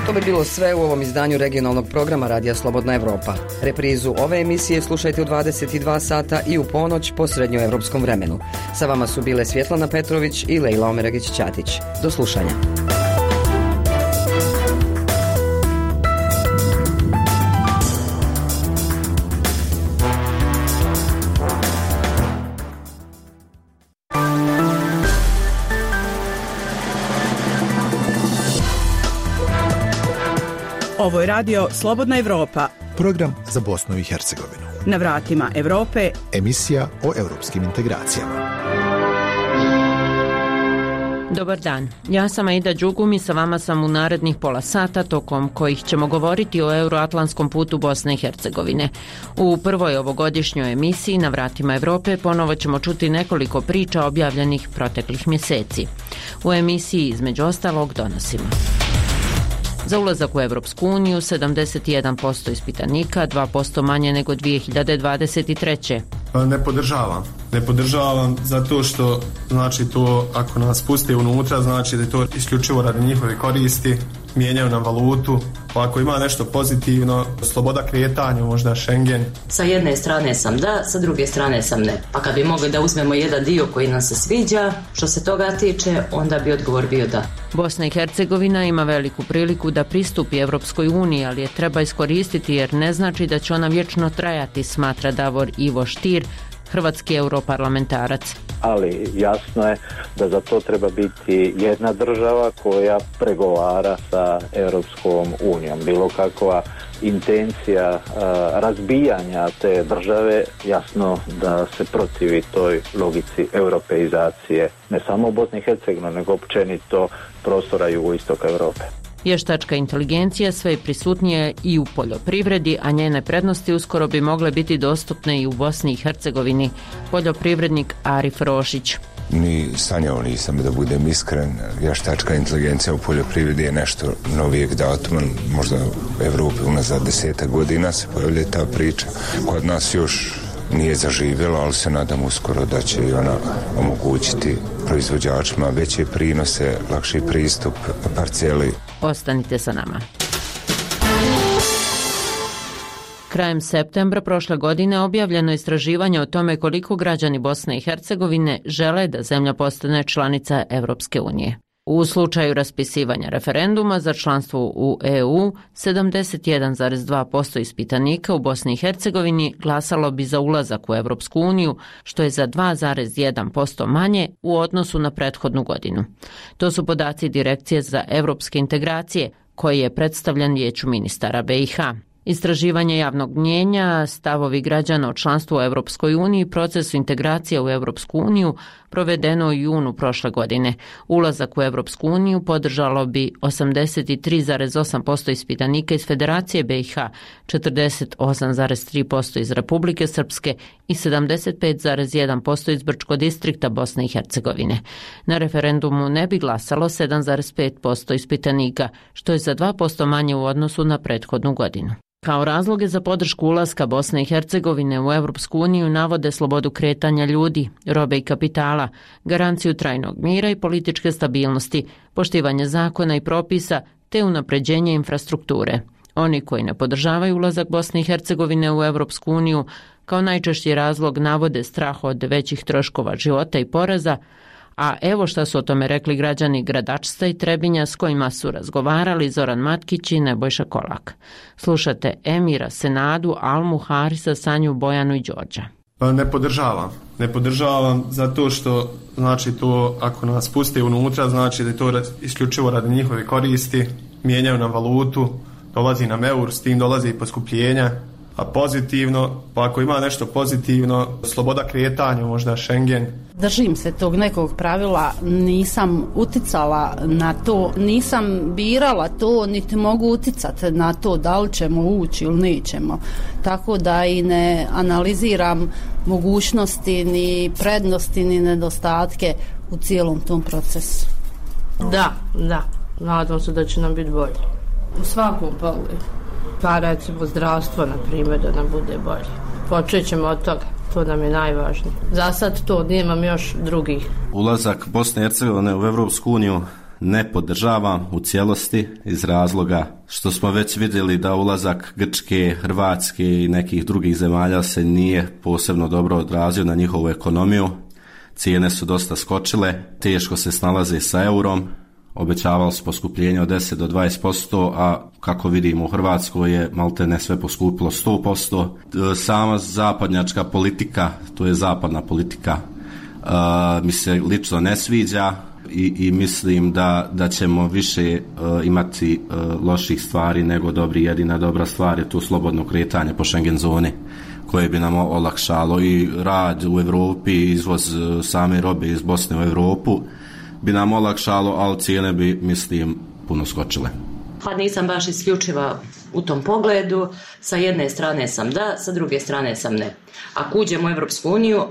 [SPEAKER 1] To bi bilo sve u ovom izdanju regionalnog programa Radija Slobodna Evropa. Reprizu ove emisije slušajte u dvadeset dva sata i u ponoć po srednjoevropskom vremenu. Sa vama su bile Svjetlana Petrović i Lejla Omeragić-Ćatić. Do slušanja.
[SPEAKER 7] Ovo je radio Slobodna Evropa.
[SPEAKER 4] Program za Bosnu i Hercegovinu.
[SPEAKER 7] Na vratima Evrope.
[SPEAKER 4] Emisija o europskim integracijama.
[SPEAKER 10] Dobar dan, ja sam Aida Đugum i sa vama sam u narednih pola sata tokom kojih ćemo govoriti o euroatlantskom putu Bosne i Hercegovine. U prvoj ovogodišnjoj emisiji Na vratima Evrope ponovo ćemo čuti nekoliko priča objavljenih proteklih mjeseci. U emisiji između ostalog donosimo: za ulazak u Evropsku uniju sedamdeset jedan posto ispitanika, dva posto manje nego dvije hiljade dvadeset treće.
[SPEAKER 6] Ne podržavam. Ne podržavam zato što znači to ako nas puste unutra znači da je to isključivo radi njihove koristi, mijenjaju nam valutu, pa ako ima nešto pozitivno, sloboda kretanja, možda Schengen.
[SPEAKER 22] Sa jedne strane sam da, sa druge strane sam ne. Pa kad bi mogli da uzmemo jedan dio koji nam se sviđa, što se toga tiče, onda bi odgovor bio da.
[SPEAKER 10] Bosna i Hercegovina ima veliku priliku da pristupi Evropskoj uniji, ali je treba iskoristiti jer ne znači da će ona vječno trajati, smatra Davor Ivo Stier, hrvatski europarlamentarac.
[SPEAKER 23] Ali jasno je da za to treba biti jedna država koja pregovara sa Europskom unijom. Bilo kakva intencija uh, razbijanja te države, jasno da se protivi toj logici europeizacije ne samo u Bosni i Hercegovini, nego općenito prostora jugoistoka Europe.
[SPEAKER 10] Vještačka inteligencija sve je prisutnije i u poljoprivredi, a njene prednosti uskoro bi mogle biti dostupne i u Bosni i Hercegovini. Poljoprivrednik Arif Rošić.
[SPEAKER 24] Ni sanjao nisam, da budem iskren. Vještačka inteligencija u poljoprivredi je nešto novijeg datuma, možda u Evropi unazad desetak godina se pojavlja ta priča. Kod nas još nije zaživjela, ali se nadam uskoro da će i ona omogućiti proizvođačima veće prinose, lakši pristup parceli.
[SPEAKER 10] Ostanite sa nama. Krajem septembra prošle godine objavljeno je istraživanje o tome koliko građani Bosne i Hercegovine žele da zemlja postane članica Evropske unije. U slučaju raspisivanja referenduma za članstvo u E U, sedamdeset jedan zarez dva posto ispitanika u Bosni i Hercegovini glasalo bi za ulazak u Evropsku uniju, što je za dva zarez jedan posto manje u odnosu na prethodnu godinu. To su podaci Direkcije za evropske integracije, koji je predstavljen Vijeću ministara B i H. Istraživanje javnog mnijenja, stavovi građana o članstvu u Evropskoj uniji i procesu integracije u Evropsku uniju provedeno u junu prošle godine. Ulazak u Evropsku uniju podržalo bi osamdeset tri zarez osam posto ispitanika iz Federacije B i H, četrdeset osam zarez tri posto iz Republike Srpske i sedamdeset pet zarez jedan posto iz Brčkog distrikta Bosne i Hercegovine. Na referendumu ne bi glasalo sedam zarez pet posto ispitanika, što je za dva posto manje u odnosu na prethodnu godinu. Kao razloge za podršku ulaska Bosne i Hercegovine u Evropsku uniju navode slobodu kretanja ljudi, robe i kapitala, garanciju trajnog mira i političke stabilnosti, poštivanje zakona i propisa te unapređenje infrastrukture. Oni koji ne podržavaju ulazak Bosne i Hercegovine u Evropsku uniju kao najčešći razlog navode strah od većih troškova života i poreza, a evo šta su o tome rekli građani Gradačca i Trebinja s kojima su razgovarali Zoran Matkić i Nebojša Kolak. Slušate Emira, Senadu, Almu, Harisa, Sanju, Bojanu i Đorđa.
[SPEAKER 6] Ne podržavam. Ne podržavam zato što znači to ako nas puste unutra znači da je to isključivo radi njihove koristi, mijenjaju nam valutu, dolazi nam eur, s tim dolazi i poskupljenja. A pozitivno, pa ako ima nešto pozitivno, sloboda kretanja, možda Schengen.
[SPEAKER 25] Držim se tog nekog pravila, nisam uticala na to, nisam birala to, niti mogu uticati na to da li ćemo ući ili nećemo. Tako da i ne analiziram mogućnosti, ni prednosti, ni nedostatke u cijelom tom procesu.
[SPEAKER 2] Da, da. Nadam se da će nam biti bolje.
[SPEAKER 25] U svakom pogledu.
[SPEAKER 2] Pa recimo zdravstvo, na primjer, da nam bude bolje. Počet ćemo od toga. To nam je najvažnije. Za sad to, nemam još drugih.
[SPEAKER 5] Ulazak Bosne i Hercegovine u Evropsku uniju ne podržavam u cijelosti iz razloga što smo već vidjeli da ulazak Grčke, Hrvatske i nekih drugih zemalja se nije posebno dobro odrazio na njihovu ekonomiju. Cijene su dosta skočile, teško se snalaze sa eurom, obećavalo se poskupljenje od deset do dvadeset posto, a kako vidimo u Hrvatskoj je malte ne sve poskupilo sto posto. Sama zapadnjačka politika, to je zapadna politika, uh, mi se lično ne sviđa i, i mislim da, da ćemo više uh, imati uh, loših stvari nego dobri. Jedina dobra stvar je tu slobodno kretanje po Schengen zoni koje bi nam olakšalo i rad u Europi, izvoz same robe iz Bosne u Europu bi nam olakšalo, ali cijene bi, mislim, puno skočile.
[SPEAKER 22] Pa nisam baš isključiva u tom pogledu. Sa jedne strane sam da, sa druge strane sam ne. Ako uđemo u Evropsku uniju,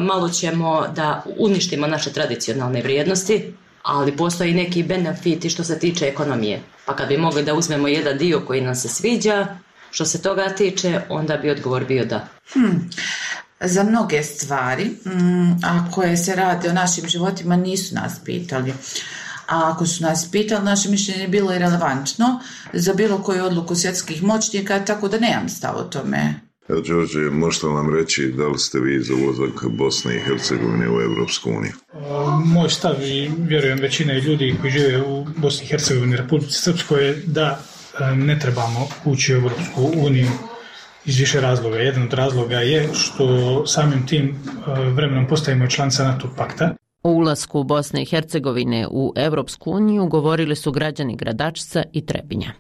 [SPEAKER 22] malo ćemo da uništimo naše tradicionalne vrijednosti, ali postoji neki benefiti što se tiče ekonomije. Pa kad bi mogli da uzmemo jedan dio koji nam se sviđa, što se toga tiče, onda bi odgovor bio da.
[SPEAKER 8] Hmm. Za mnoge stvari, a koje se rade o našim životima, nisu nas pitali. A ako su nas pitali, naše mišljenje je bilo i relevantno za bilo koju odluku svjetskih moćnika, tako da nemam stav o tome.
[SPEAKER 11] Evo, Đorđe, možete nam reći da li ste vi za ulazak Bosne i Hercegovine u Evropsku uniju?
[SPEAKER 12] Moj stav i vjerujem većine ljudi koji žive u Bosni i Hercegovini, Republici Srpskoj, je da ne trebamo ući u Evropsku uniju iz više razloga. Jedan od razloga je što samim tim vremenom postajemo članica NATO pakta.
[SPEAKER 10] O ulasku Bosne i Hercegovine u Evropsku uniju govorili su građani Gradačca i Trebinja.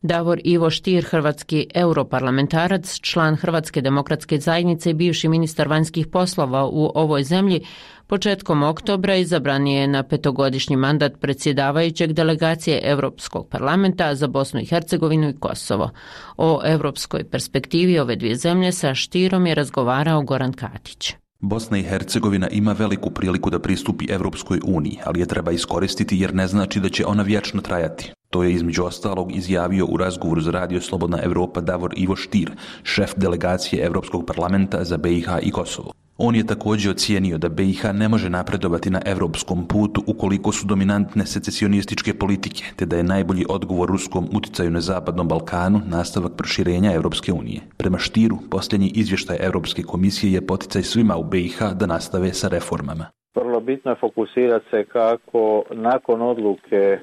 [SPEAKER 10] Davor Ivo Stier, hrvatski europarlamentarac, član Hrvatske demokratske zajednice i bivši ministar vanjskih poslova u ovoj zemlji, početkom oktobra izabran je na petogodišnji mandat predsjedavajućeg delegacije Europskog parlamenta za Bosnu i Hercegovinu i Kosovo. O europskoj perspektivi ove dvije zemlje sa Stierom je razgovarao Goran Katić.
[SPEAKER 26] Bosna i Hercegovina ima veliku priliku da pristupi Evropskoj uniji, ali je treba iskoristiti jer ne znači da će ona vječno trajati. To je između ostalog izjavio u razgovoru za Radio Slobodna Evropa Davor Ivo Stier, šef delegacije Europskog parlamenta za B i H i Kosovo. On je također ocijenio da B i H ne može napredovati na europskom putu ukoliko su dominantne secesionističke politike, te da je najbolji odgovor ruskom uticaju na Zapadnom Balkanu nastavak proširenja Europske unije. Prema Stieru, posljednji izvještaj Europske komisije je poticaj svima u B i H da nastave sa reformama.
[SPEAKER 23] Vrlo bitno je fokusirati se kako nakon odluke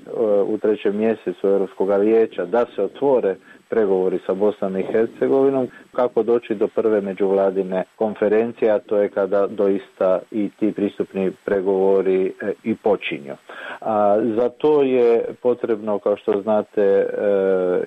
[SPEAKER 23] u trećem mjesecu Europskog vijeća da se otvore pregovori sa Bosnom i Hercegovinom, kako doći do prve međuvladine konferencije, a to je kada doista i ti pristupni pregovori i počinju. A za to je potrebno, kao što znate, e,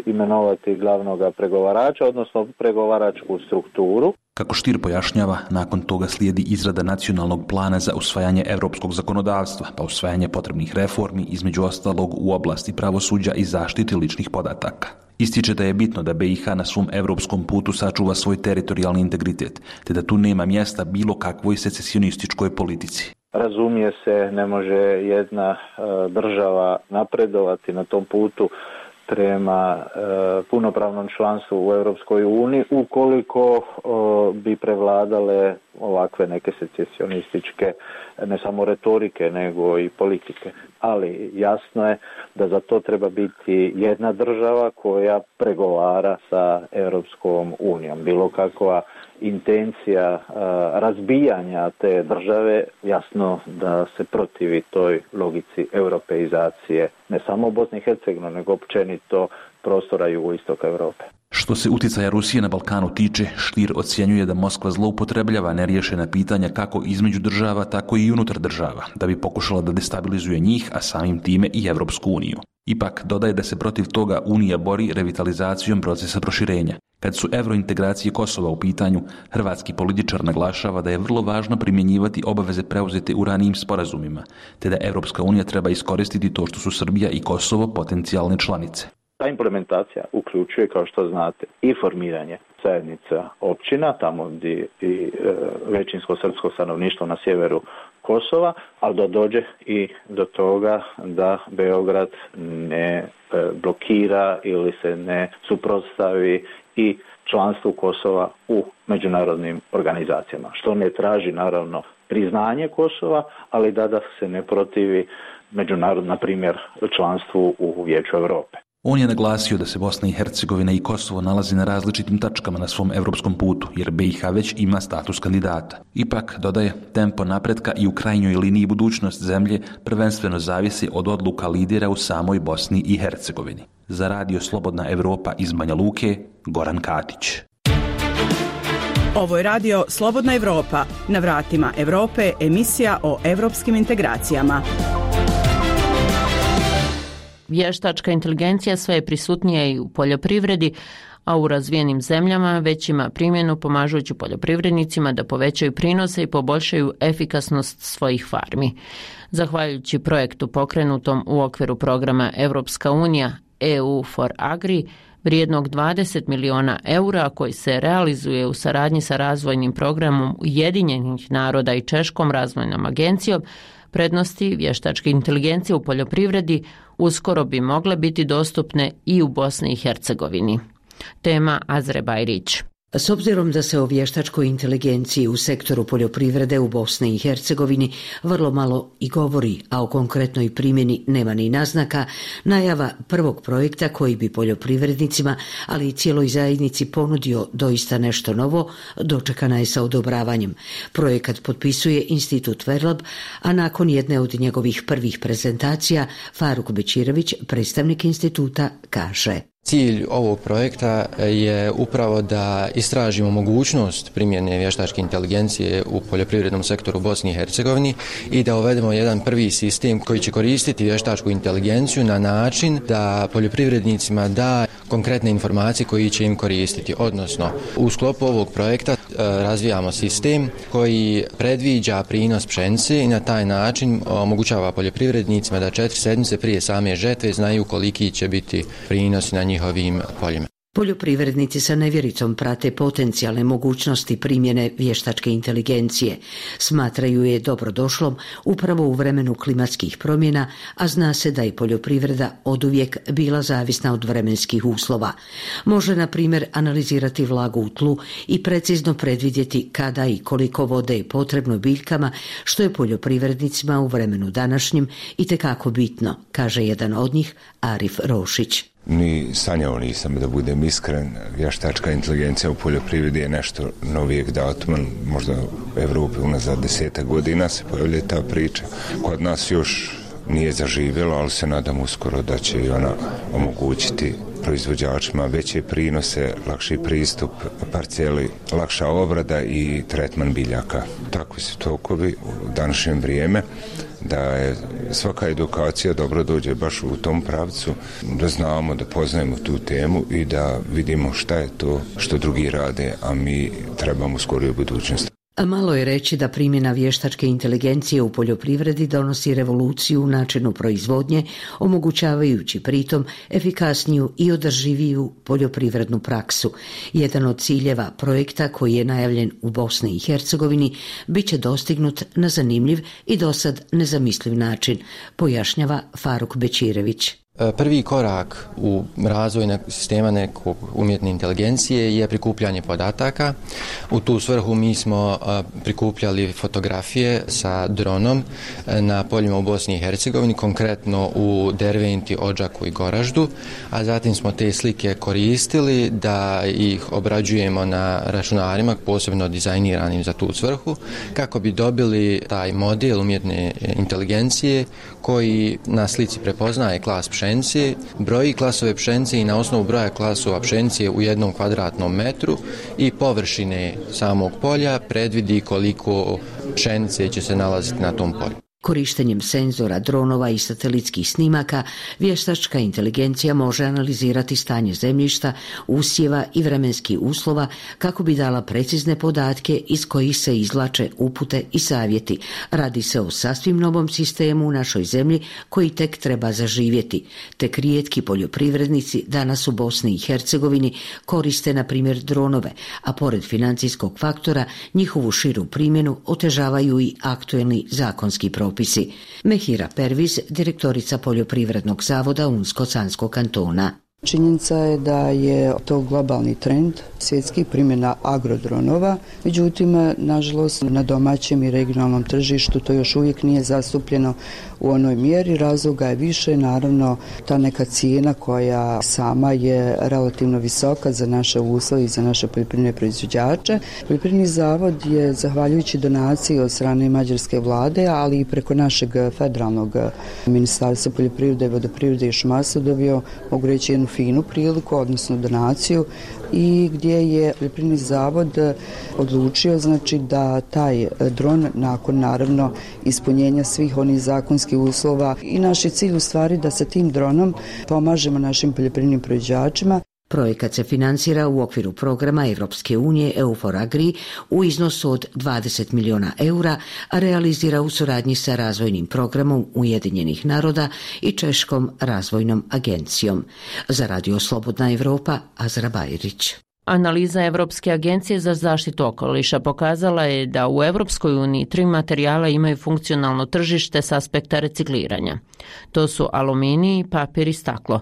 [SPEAKER 23] imenovati glavnog pregovarača, odnosno pregovaračku strukturu.
[SPEAKER 26] Kako Stier pojašnjava, nakon toga slijedi izrada nacionalnog plana za usvajanje europskog zakonodavstva, pa usvajanje potrebnih reformi, između ostalog u oblasti pravosuđa i zaštite ličnih podataka. Ističe da je bitno da B i H na svom europskom putu sačuva svoj teritorijalni integritet, te da tu nema mjesta bilo kakvoj secesionističkoj politici.
[SPEAKER 23] Razumije se, ne može jedna uh, država napredovati na tom putu prema e, punopravnom članstvu u Europskoj uniji ukoliko o, bi prevladale ovakve neke secesionističke ne samo retorike nego i politike. Ali jasno je da za to treba biti jedna država koja pregovara sa Europskom unijom. Bilo kakva intencija a, razbijanja te države, jasno da se protivi toj logici europeizacije ne samo u Bosni i Hercegovini, nego općenito prostora jugoistoka Europe.
[SPEAKER 26] Što se utjecaja Rusije na Balkanu tiče, Stier ocjenjuje da Moskva zloupotrebljava neriješena pitanja kako između država, tako i unutar država, da bi pokušala da destabilizuje njih, a samim time i Evropsku uniju. Ipak dodaje da se protiv toga Unija bori revitalizacijom procesa proširenja. Kad su eurointegracije Kosova u pitanju, hrvatski političar naglašava da je vrlo važno primjenjivati obaveze preuzete u ranijim sporazumima, te da Evropska unija treba iskoristiti to što su Srbija i Kosovo potencijalne članice.
[SPEAKER 23] Ta implementacija uključuje, kao što znate, i formiranje zajednica općina, tamo gdje i e, većinsko srpsko stanovništvo na sjeveru Kosova, ali da dođe i do toga da Beograd ne e, blokira ili se ne suprotstavi i članstvu Kosova u međunarodnim organizacijama, što ne traži naravno priznanje Kosova, ali da, da se ne protivi međunarodno, na primjer, članstvu u Vijeću Europe.
[SPEAKER 26] On je naglasio da se Bosna i Hercegovina i Kosovo nalazi na različitim tačkama na svom evropskom putu, jer B i H već ima status kandidata. Ipak, dodaje, tempo napretka i u krajnjoj liniji budućnost zemlje prvenstveno zavisi od odluka lidera u samoj Bosni i Hercegovini. Za Radio Slobodna Evropa iz Banja Luke, Goran Katić.
[SPEAKER 7] Ovo je radio Slobodna Evropa. Na vratima Evrope, emisija o evropskim integracijama.
[SPEAKER 10] Vještačka inteligencija sve je prisutnija i u poljoprivredi, a u razvijenim zemljama već ima primjenu pomažući poljoprivrednicima da povećaju prinose i poboljšaju efikasnost svojih farmi. Zahvaljujući projektu pokrenutom u okviru programa Evropska unija E U for Agri, vrijednog dvadeset miliona eura, koji se realizuje u saradnji sa razvojnim programom Ujedinjenih naroda i Češkom razvojnom agencijom, prednosti vještačke inteligencije u poljoprivredi uskoro bi mogle biti dostupne i u Bosni i Hercegovini. Tema Azre Bajrić.
[SPEAKER 3] S obzirom da se o vještačkoj inteligenciji u sektoru poljoprivrede u Bosni i Hercegovini vrlo malo i govori, a o konkretnoj primjeni nema ni naznaka, najava prvog projekta koji bi poljoprivrednicima, ali i cijeloj zajednici ponudio doista nešto novo, dočekana je sa odobravanjem. Projekat potpisuje Institut Verlab, a nakon jedne od njegovih prvih prezentacija, Faruk Bečirović, predstavnik instituta, kaže:
[SPEAKER 9] Cilj ovog projekta je upravo da istražimo mogućnost primjene vještačke inteligencije u poljoprivrednom sektoru u Bosni i Hercegovini i da uvedemo jedan prvi sistem koji će koristiti vještačku inteligenciju na način da poljoprivrednicima da konkretne informacije koji će im koristiti. Odnosno, u sklopu ovog projekta razvijamo sistem koji predviđa prinos pšenice i na taj način omogućava poljoprivrednicima da četiri sedmice prije same žetve znaju koliki će biti prinos na njih njihovim poljima.
[SPEAKER 3] Poljoprivrednici sa nevjericom prate potencijalne mogućnosti primjene vještačke inteligencije. Smatraju je dobrodošlom upravo u vremenu klimatskih promjena, a zna se da je poljoprivreda oduvijek bila zavisna od vremenskih uslova. Može, na primjer, analizirati vlagu u tlu i precizno predvidjeti kada i koliko vode je potrebno biljkama, što je poljoprivrednicima u vremenu današnjim itekako bitno, kaže jedan od njih, Arif Rošić.
[SPEAKER 24] Ni sanjao nisam, da budem iskren. Vještačka inteligencija u poljoprivredi je nešto novijeg datuma, možda u Evropi unazad desetak godina se pojavlja ta priča. Kod nas još nije zaživjela, ali se nadam uskoro da će i ona omogućiti proizvođačima veće prinose, lakši pristup parceli, lakša obrada i tretman biljaka. Takvi su tokovi u današnje vrijeme, da je svaka edukacija dobro dođe baš u tom pravcu, da znamo, da poznajemo tu temu i da vidimo šta je to što drugi rade, a mi trebamo u skorijoj budućnosti.
[SPEAKER 3] A malo je reći da primjena vještačke inteligencije u poljoprivredi donosi revoluciju u načinu proizvodnje, omogućavajući pritom efikasniju i održiviju poljoprivrednu praksu. Jedan od ciljeva projekta koji je najavljen u Bosni i Hercegovini bit će dostignut na zanimljiv i dosad nezamisliv način, pojašnjava Faruk Bečirević.
[SPEAKER 9] Prvi korak u razvoju sistema nekog umjetne inteligencije je prikupljanje podataka. U tu svrhu mi smo prikupljali fotografije sa dronom na poljima u Bosni i Hercegovini, konkretno u Derventi, Odžaku i Goraždu, a zatim smo te slike koristili da ih obrađujemo na računarima, posebno dizajniranim za tu svrhu, kako bi dobili taj model umjetne inteligencije koji na slici prepoznaje klas pšenice, broji klasove pšenice i na osnovu broja klasova pšenice u jednom kvadratnom metru i površine samog polja predvidi koliko pšenice će se nalaziti na tom polju.
[SPEAKER 3] Korištenjem senzora, dronova i satelitskih snimaka, vještačka inteligencija može analizirati stanje zemljišta, usjeva i vremenskih uslova kako bi dala precizne podatke iz kojih se izvlače upute i savjeti. Radi se o sasvim novom sistemu u našoj zemlji koji tek treba zaživjeti. Tek rijetki poljoprivrednici danas u Bosni i Hercegovini koriste na primjer dronove, a pored financijskog faktora njihovu širu primjenu otežavaju i aktuelni zakonski propisi. Mehira Perviz, direktorica Poljoprivrednog zavoda Unsko-Sanskog kantona.
[SPEAKER 13] Činjenica je da je to globalni trend svjetskih primjena agrodronova, međutim, nažalost, na domaćem i regionalnom tržištu to još uvijek nije zastupljeno u onoj mjeri. Razloga je više, naravno, ta neka cijena koja sama je relativno visoka za naše uslove i za naše poljoprivredne proizvođače. Poljoprivredni zavod je, zahvaljujući donaciji od strane mađarske vlade, ali i preko našeg federalnog ministarstva poljoprivrede, vodoprivrede i šumarstva dobio, mogu reći, jednu finu priliku, odnosno donaciju, i gdje je poljoprivredni zavod odlučio, znači, da taj dron, nakon naravno ispunjenja svih onih zakonskih uslova, i naš je cilj u stvari da sa tim dronom pomažemo našim poljoprivrednim proizvođačima.
[SPEAKER 3] Projekat se financira u okviru programa Europske unije E U for Agri u iznosu od dvadeset milijuna eura, a realizira u suradnji sa razvojnim programom Ujedinjenih naroda i Češkom razvojnom agencijom. Za Radio Slobodna Evropa, Azra Bajrić.
[SPEAKER 10] Analiza Europske agencije za zaštitu okoliša pokazala je da u Europskoj uniji tri materijala imaju funkcionalno tržište s aspekta recikliranja. To su aluminij, papir i staklo.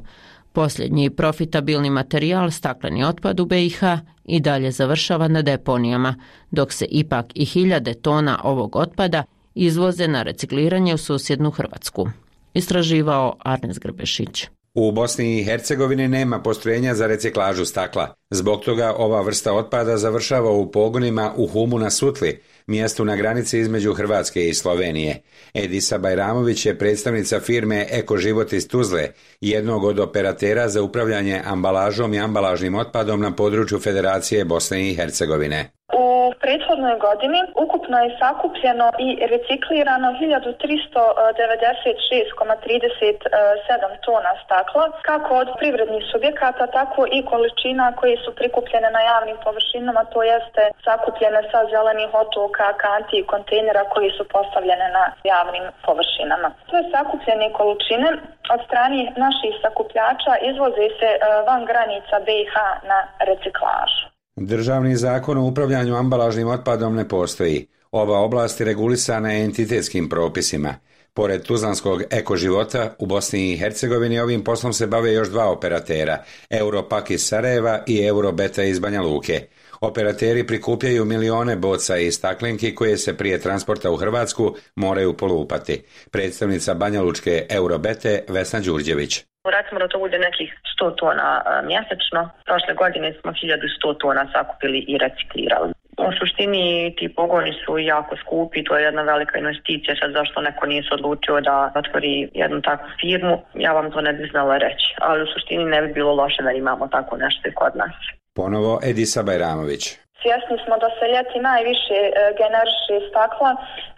[SPEAKER 10] Posljednji profitabilni materijal, stakleni otpad u B i H, i dalje završava na deponijama, dok se ipak i hiljade tona ovog otpada izvoze na recikliranje u susjednu Hrvatsku. Istraživao Arnes Grbešić.
[SPEAKER 14] U Bosni i Hercegovini nema postrojenja za reciklažu stakla. Zbog toga ova vrsta otpada završava u pogonima u Humu na Sutli, mjestu na granici između Hrvatske i Slovenije. Edisa Bajramović je predstavnica firme Eko Život iz Tuzle, jednog od operatera za upravljanje ambalažom i ambalažnim otpadom na području Federacije Bosne i Hercegovine.
[SPEAKER 15] U prethodnoj godini ukupno je sakupljeno i reciklirano hiljadu tristo devedeset šest zarez trideset sedam tona stakla, kako od privrednih subjekata, tako i količina koje su prikupljene na javnim površinama, to jeste sakupljene sa zelenih otoka, kanti i kontejnera koji su postavljene na javnim površinama. Sve sakupljene količine od strane naših sakupljača izvoze se van granica B i H na reciklažu.
[SPEAKER 14] Državni zakon o upravljanju ambalažnim otpadom ne postoji. Ova oblast je regulisana entitetskim propisima. Pored Tuzlanskog Eko Života, u Bosni i Hercegovini ovim poslom se bave još dva operatera, Europak iz Sarajeva i Eurobeta iz Banja Luke. Operateri prikupljaju milione boca i staklenki koje se prije transporta u Hrvatsku moraju polupati. Predstavnica Banjalučke Eurobete Vesna Đurđević.
[SPEAKER 16] Recimo da to bude nekih sto tona mjesečno. Prošle godine smo hiljadu sto tona sakupili i reciklirali. U suštini ti pogoni su jako skupi, to je jedna velika investicija, sad zašto neko nije se odlučio da otvori jednu takvu firmu, ja vam to ne bi znala reći, ali u suštini ne bi bilo loše da imamo tako nešto i kod nas.
[SPEAKER 14] Ponovo Edisa Bajramović.
[SPEAKER 15] Svjesni smo da se ljeti najviše e, generiše stakla.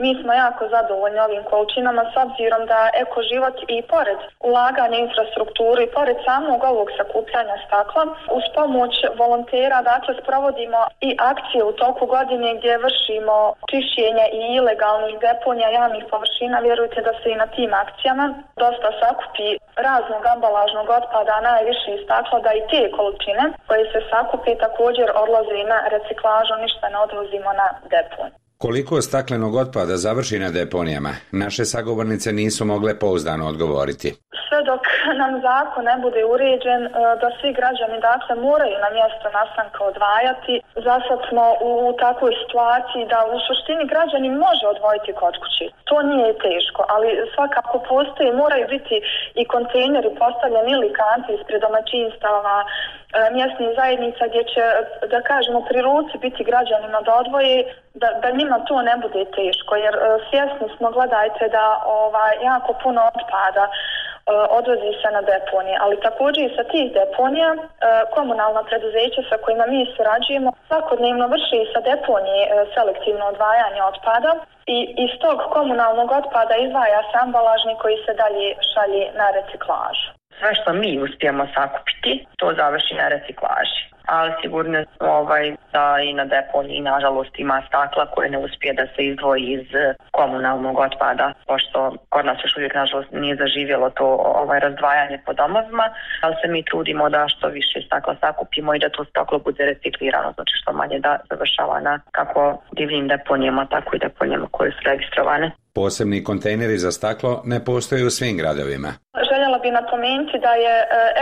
[SPEAKER 15] Mi smo jako zadovoljni ovim količinama s obzirom da Eko Život i pored ulaganja infrastrukturu i pored samog ovog sakupljanja stakla, uz pomoć volontera, dakle, sprovodimo i akcije u toku godine gdje vršimo čišćenje i ilegalnih deponija javnih površina. Vjerujte da se i na tim akcijama dosta sakupi raznog ambalažnog otpada, najviše stakla, da i te količine koje se sakupe također odlaze i na reciklažu. Klažu, ništa ne odvozimo na deponiju.
[SPEAKER 14] Koliko staklenog otpada završi na deponijama, naše sagovornice nisu mogle pouzdano odgovoriti.
[SPEAKER 15] Sve dok nam zakon ne bude uređen, da svi građani dakle moraju na mjesto nastanka odvajati. Zasad smo u takvoj situaciji da u suštini građani može odvojiti kod kući. To nije teško, ali svakako postoji, moraju biti i kontejneri postavljeni ili kanti ispred domaćinstava, mjesnih zajednica gdje će, da kažemo, pri ruci biti građanima da odvoje, da, da njima to ne bude teško, jer svjesni smo, gledajte, da ovaj, jako puno otpada odvozi se na deponije, ali također i sa tih deponija komunalna preduzeća sa kojima mi surađujemo svakodnevno vrši sa deponije selektivno odvajanje otpada i iz tog komunalnog otpada izdvaja se ambalažni koji se dalje šalje na reciklažu.
[SPEAKER 16] Sve što mi uspijemo sakupiti, to završi na reciklaži. Ali sigurno ovaj, da i na deponiji nažalost ima stakla koje ne uspije da se izdvoji iz komunalnog otpada, pošto kod nas još uvijek nažalost nije zaživjelo to ovaj, razdvajanje po domovima, ali se mi trudimo da što više stakla sakupimo i da to staklo bude reciklirano, znači što manje da završava na kako divljim deponijama, tako i deponijama koje su registrovane.
[SPEAKER 14] Posebni kontejneri za staklo ne postoje u svim gradovima.
[SPEAKER 15] Željela bi napomenuti da je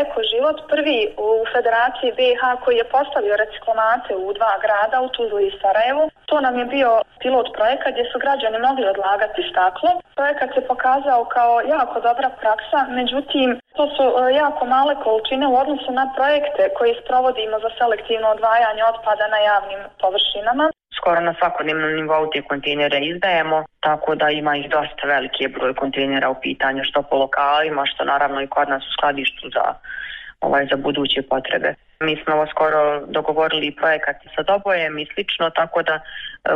[SPEAKER 15] Eko Život prvi u Federaciji B iH koji je postavio reciklomate u dva grada, u Tuzli i Sarajevu. To nam je bio pilot projekat gdje su građani mogli odlagati staklo. Projekat se pokazao kao jako dobra praksa, međutim to su jako male količine u odnosu na projekte koji sprovodimo za selektivno odvajanje otpada na javnim površinama.
[SPEAKER 16] Skoro na svakodnevnom nivou te kontejnere izdajemo, tako da ima ih dosta veliki broj kontejnera u pitanju, što po lokalima, što naravno i kod nas u skladištu za, ovaj, za buduće potrebe. Mi smo ovo skoro dogovorili projekat sa Dobojem i slično, tako da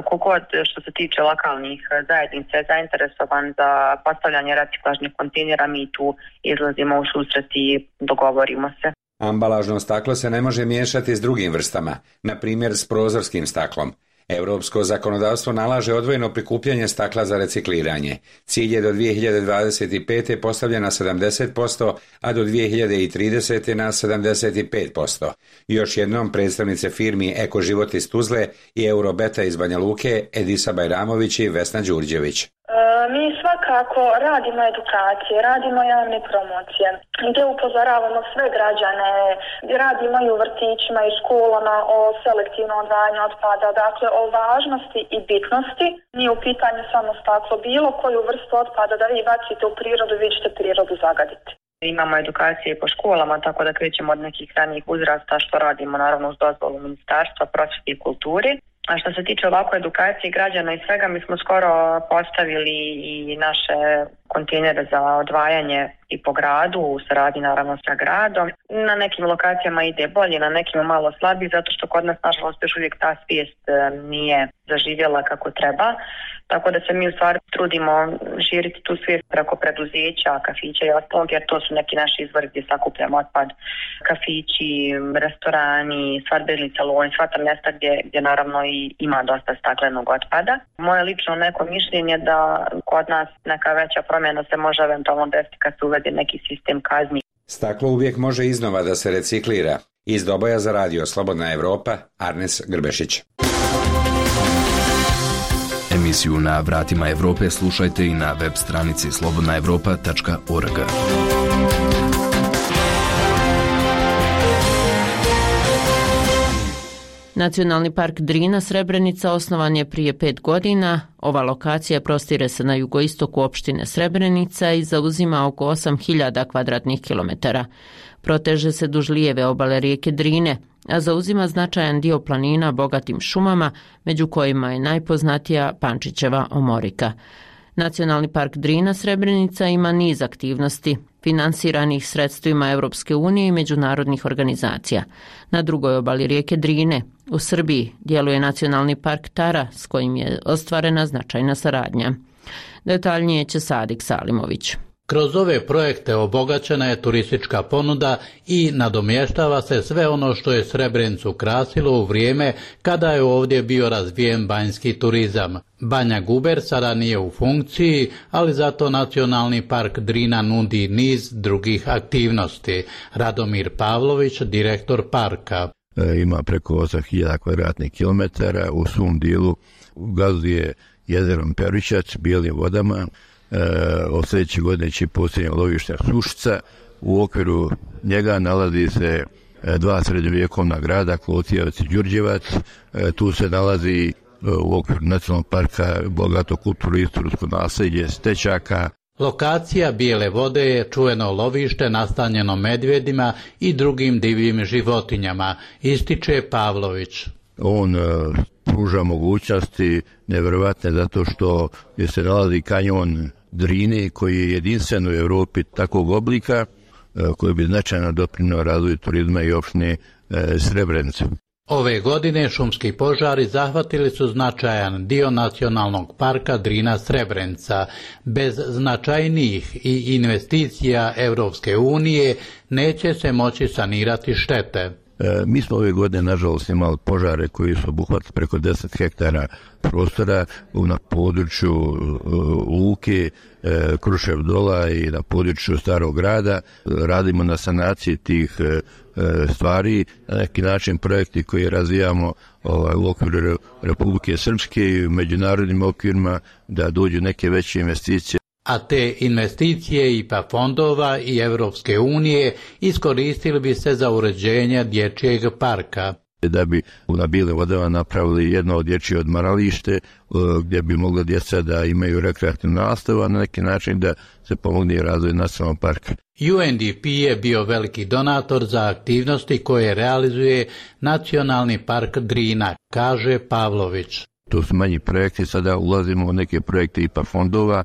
[SPEAKER 16] kogod što se tiče lokalnih zajednica je zainteresovan za postavljanje reciklažnih kontejnera, mi tu izlazimo u susret i dogovorimo se.
[SPEAKER 14] Ambalažno staklo se ne može miješati s drugim vrstama, na primjer s prozorskim staklom. Europsko zakonodavstvo nalaže odvojeno prikupljanje stakla za recikliranje. Cilj je do dvije hiljade dvadeset pete postavljen na sedamdeset posto, a do dvije hiljade tridesete na sedamdeset pet posto. Još jednom predstavnice firmi Eko Život iz Tuzle i Eurobeta iz Banja Luke, Edisa Bajramović i Vesna Đurđević.
[SPEAKER 15] Mi svakako radimo edukacije, radimo javne promocije, gdje upozoravamo sve građane, gdje radimo i u vrtićima i školama o selektivnom odvajanju otpada, dakle o važnosti i bitnosti. Nije u pitanju samo staklo, bilo koju vrstu otpada da vi bacite u prirodu, vi ćete prirodu zagaditi.
[SPEAKER 16] Imamo edukacije po školama, tako da krećemo od nekih ranijih uzrasta, što radimo naravno uz dozvolu Ministarstva prosvjete i kulture. A što se tiče ovako edukacije građana i svega, mi smo skoro postavili i naše kontejnere za odvajanje i po gradu, u saradnji naravno sa gradom. Na nekim lokacijama ide bolje, na nekim malo slabije, zato što kod nas nažalost još uvijek ta svijest nije zaživjela kako treba. Tako da se mi u stvari trudimo širiti tu svijest preko preduzeća, kafića i ostalog, jer to su neki naši izvori gdje sakupljamo otpad. Kafići, restorani, svadbeni saloni, sva ta mjesta gdje, gdje naravno i ima dosta staklenog otpada. Moje lično neko mišljenje da kod nas neka veća promjena se može eventualno desiti kad se uvede neki sistem kazni.
[SPEAKER 14] Staklo uvijek može iznova da se reciklira. Iz Doboja za radio Slobodna Evropa, Arnes Grbešić.
[SPEAKER 1] Emisiju Na vratima Evrope slušajte i na web stranici slobodna evropa tačka org.
[SPEAKER 10] Nacionalni park Drina Srebrenica osnovan je prije pet godina. Ova lokacija prostire se na jugoistoku opštine Srebrenica i zauzima oko osam hiljada kvadratnih kilometara. Proteže se duž lijeve obale rijeke Drine, a zauzima značajan dio planina bogatim šumama, među kojima je najpoznatija Pančićeva omorika. Nacionalni park Drina Srebrenica ima niz aktivnosti, finansiranih sredstvima Europske unije i međunarodnih organizacija. Na drugoj obali rijeke Drine, u Srbiji, djeluje Nacionalni park Tara, s kojim je ostvarena značajna saradnja. Detaljnije će Sadik Salimović.
[SPEAKER 17] Kroz ove projekte obogaćena je turistička ponuda i nadomještava se sve ono što je Srebrenicu krasilo u vrijeme kada je ovdje bio razvijen banjski turizam. Banja Guber sada nije u funkciji, ali zato Nacionalni park Drina nudi niz drugih aktivnosti. Radomir Pavlović, direktor parka.
[SPEAKER 18] E, ima preko osam hiljada kvadratnih kilometara, u svom dijelu gazuje jezerom Peričac, bijelim vodama. E, od sljedeće godine će posljednje lovište Sušica. U okviru njega nalazi se e, dva srednjovjekovna grada, Klotijevac i Đurđevac. E, tu se nalazi e, u okviru nacionalnog parka bogato kulturno istorijsko nasljeđe Stečaka.
[SPEAKER 17] Lokacija Bijele vode je čuveno lovište nastanjeno medvjedima i drugim divljim životinjama, ističe Pavlović.
[SPEAKER 18] On e, pruža mogućnosti nevjerovatne zato što gdje se nalazi kanjon Drine koji je jedinstven u Europi takvog oblika koji bi značajno doprinio razvoju turizma i opštine Srebrenica.
[SPEAKER 17] Ove godine šumski požari zahvatili su značajan dio nacionalnog parka Drina Srebrenica. Bez značajnijih i investicija Europske unije neće se moći sanirati štete.
[SPEAKER 18] E, mi smo ove godine, nažalost, imali požare koji su obuhvatili preko deset hektara prostora na području e, Luke, e, Krušev Dola i na području Starog grada. Radimo na sanaciji tih e, stvari, na neki način projekti koje razvijamo ovaj, u okviru Republike Srpske i u međunarodnim okvirima da dođu neke veće investicije.
[SPEAKER 17] A te investicije I P A fondova i Europske unije iskoristili bi se za uređenje dječjeg parka.
[SPEAKER 18] Da bi na Bijelim vodama napravili jedno od dječje odmaralište gdje bi mogla djeca da imaju rekreativnu nastavu, a na neki način da se pomogne razvoj nacionalnog parka.
[SPEAKER 17] U N D P je bio veliki donator za aktivnosti koje realizuje Nacionalni park Drina, kaže Pavlović.
[SPEAKER 18] To su manji projekti, sada ulazimo u neke projekte I P A fondova,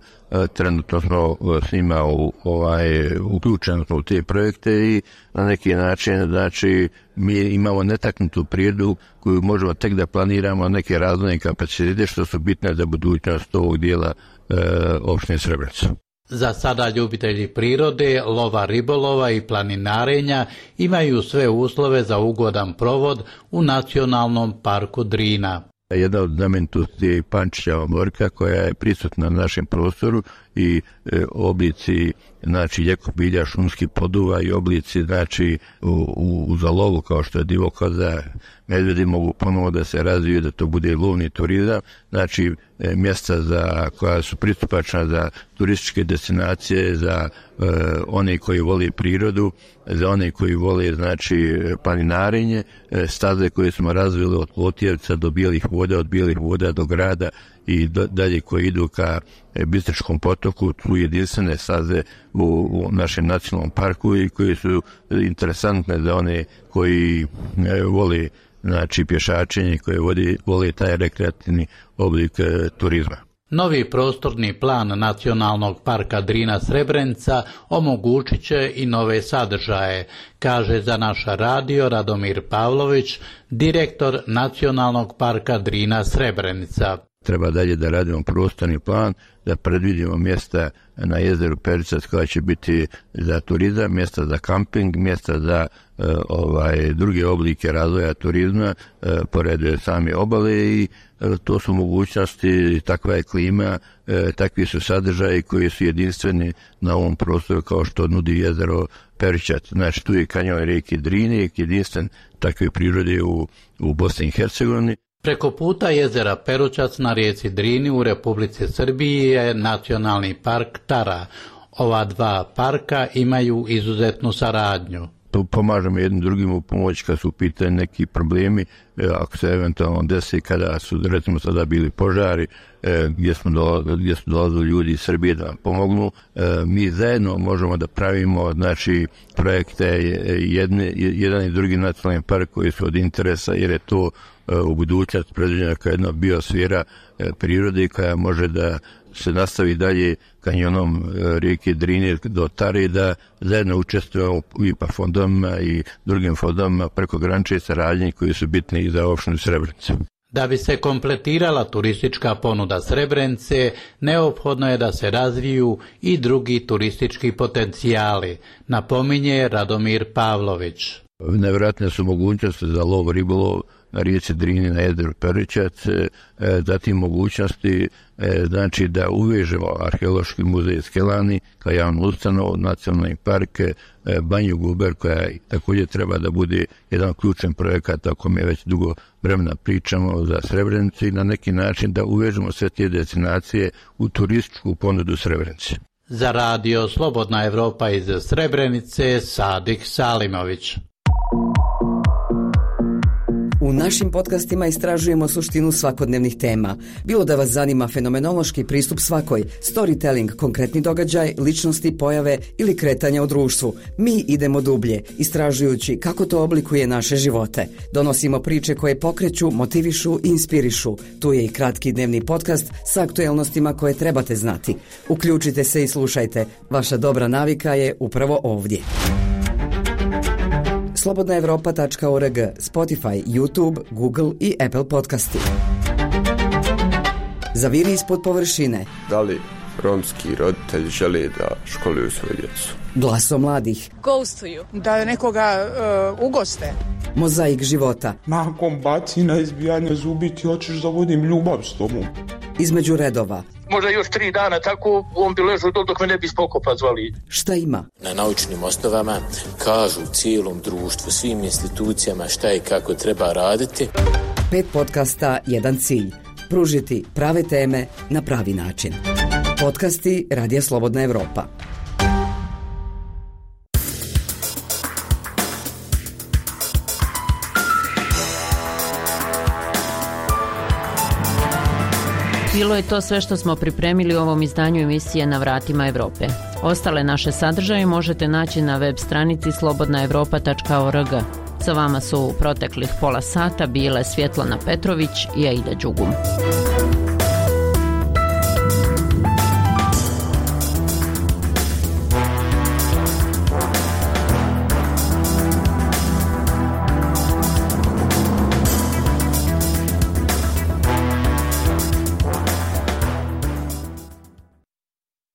[SPEAKER 18] trenutno smo s njima u, ovaj, uključeni u te projekte i na neki način, znači, mi imamo netaknutu prirodu koju možemo tek da planiramo neke razvojne kapacitete što su bitne za budućnost ovog dijela e, opštine Srebrenica.
[SPEAKER 17] Za sada ljubitelji prirode, lova, ribolova I planinarenja imaju sve uslove za ugodan provod u Nacionalnom parku Drina.
[SPEAKER 18] Jedna od znamenitosti je Pančićeva morka koja je prisutna na našem prostoru i e, oblici znači ljekobilja, šumskih poduva i oblici znači u, u, u zalovu kao što je divokoza, medvedi mogu ponovo da se razviju da to bude lovni turizam, znači e, mjesta za, koja su pristupačna za turističke destinacije, za e, one koji vole prirodu, za one koji vole znači planinarenje, e, staze koje smo razvili od Lotijevca do Bijelih voda, od Bijelih voda do grada i do, dalje koji idu ka Bistričkom potoku, tu jedinstvene staze u, u našem nacionalnom parku i koji su interesantne za one koji e, vole znači pješačenje, koje voli, voli taj rekreativni oblik e, turizma.
[SPEAKER 17] Novi prostorni plan Nacionalnog parka Drina Srebrenica omogućit će I nove sadržaje, kaže za naš radio Radomir Pavlović, direktor Nacionalnog parka Drina Srebrenica.
[SPEAKER 18] Treba dalje da radimo prostorni plan, da predvidimo mjesta na jezeru Peričac koja će biti za turizam, mjesta za kamping, mjesta za e, ovaj druge oblike razvoja turizma e, pored same obale i e, to su mogućnosti, takva je klima, e, takvi su sadržaji koji su jedinstveni na ovom prostoru kao što nudi jezero Peričac. Znači tu je kanjon rijeke Drine, jedinstven takve prirode u, u Bosni I Hercegovini.
[SPEAKER 17] Preko puta jezera Peručac na rijeci Drini u Republici Srbiji je Nacionalni park Tara. Ova dva parka imaju izuzetnu saradnju.
[SPEAKER 18] Pomažemo jednim drugim u pomoć kad su u pitanju neki problemi, ako se eventualno desi kada su recimo sada bili požari, gdje smo dolazili, gdje su dolazili ljudi iz Srbije da nam pomognu. Mi zajedno možemo da pravimo znači projekte jedne, jedan I drugi nacionalni park koji su od interesa jer je to u budućnosti predviđena kao jedna biosfera prirode koja može da se nastavi dalje kanjonom rijeke Drine do Tare, da zajedno učestvujemo u I P A fondovima I drugim fondovima preko granične saradnje koji su bitni I za opštinu Srebrenicu.
[SPEAKER 17] Da bi se kompletirala turistička ponuda Srebrenice, neophodno je da se razviju I drugi turistički potencijali, napominje Radomir Pavlović.
[SPEAKER 18] Nevjerojatne su mogućnosti za lov, ribolov na rijeci Drini, na jezeru Peričac, zatim mogućnosti znači da uvežemo Arheološki muzej Skelani kao javnu ustanovu, nacionalni park, Banju Guber koja također treba da bude jedan ključan projekat o kome već dugo vremena pričamo za Srebrenicu I na neki način da uvežemo sve te destinacije u turističku ponudu Srebrenice.
[SPEAKER 17] Za radio Slobodna Evropa iz Srebrenice, Sadik Salimović.
[SPEAKER 4] U našim podcastima istražujemo suštinu svakodnevnih tema. Bilo da vas zanima fenomenološki pristup svakoj, storytelling, konkretni događaj, ličnosti, pojave ili kretanja u društvu. Mi idemo dublje, istražujući kako to oblikuje naše živote. Donosimo priče koje pokreću, motivišu i inspirišu. Tu je i kratki dnevni podcast sa aktuelnostima koje trebate znati. Uključite se i slušajte. Vaša dobra navika je upravo ovdje. slobodna evropa tačka org, Spotify, YouTube, Google i Apple podcasti. Zaviri ispod površine.
[SPEAKER 6] Da li romski roditelji žele da školuju svoju djecu?
[SPEAKER 4] Glaso mladih.
[SPEAKER 19] Ghostuju. Da nekoga uh, ugoste.
[SPEAKER 4] Mozaik života.
[SPEAKER 20] Nakon bacina, izbijanja zubi ti hoćeš da vodim ljubav s tobom.
[SPEAKER 4] Između redova.
[SPEAKER 21] Možda još tri dana tako on bi ležao dok me ne bi spokopa zvali.
[SPEAKER 4] Šta ima?
[SPEAKER 25] Na naučnim osnovama kažu cijelom društvu, svim institucijama šta i kako treba raditi.
[SPEAKER 4] Pet podcasta, jedan cilj. Pružiti prave teme na pravi način. Podcasti Radija Slobodna Evropa.
[SPEAKER 10] Bilo je to sve što smo pripremili u ovom izdanju emisije Na vratima Evrope. Ostale naše sadržaje možete naći na web stranici slobodna evropa tačka org. Sa vama su u proteklih pola sata bile Svjetlana Petrović i Aida Đugum.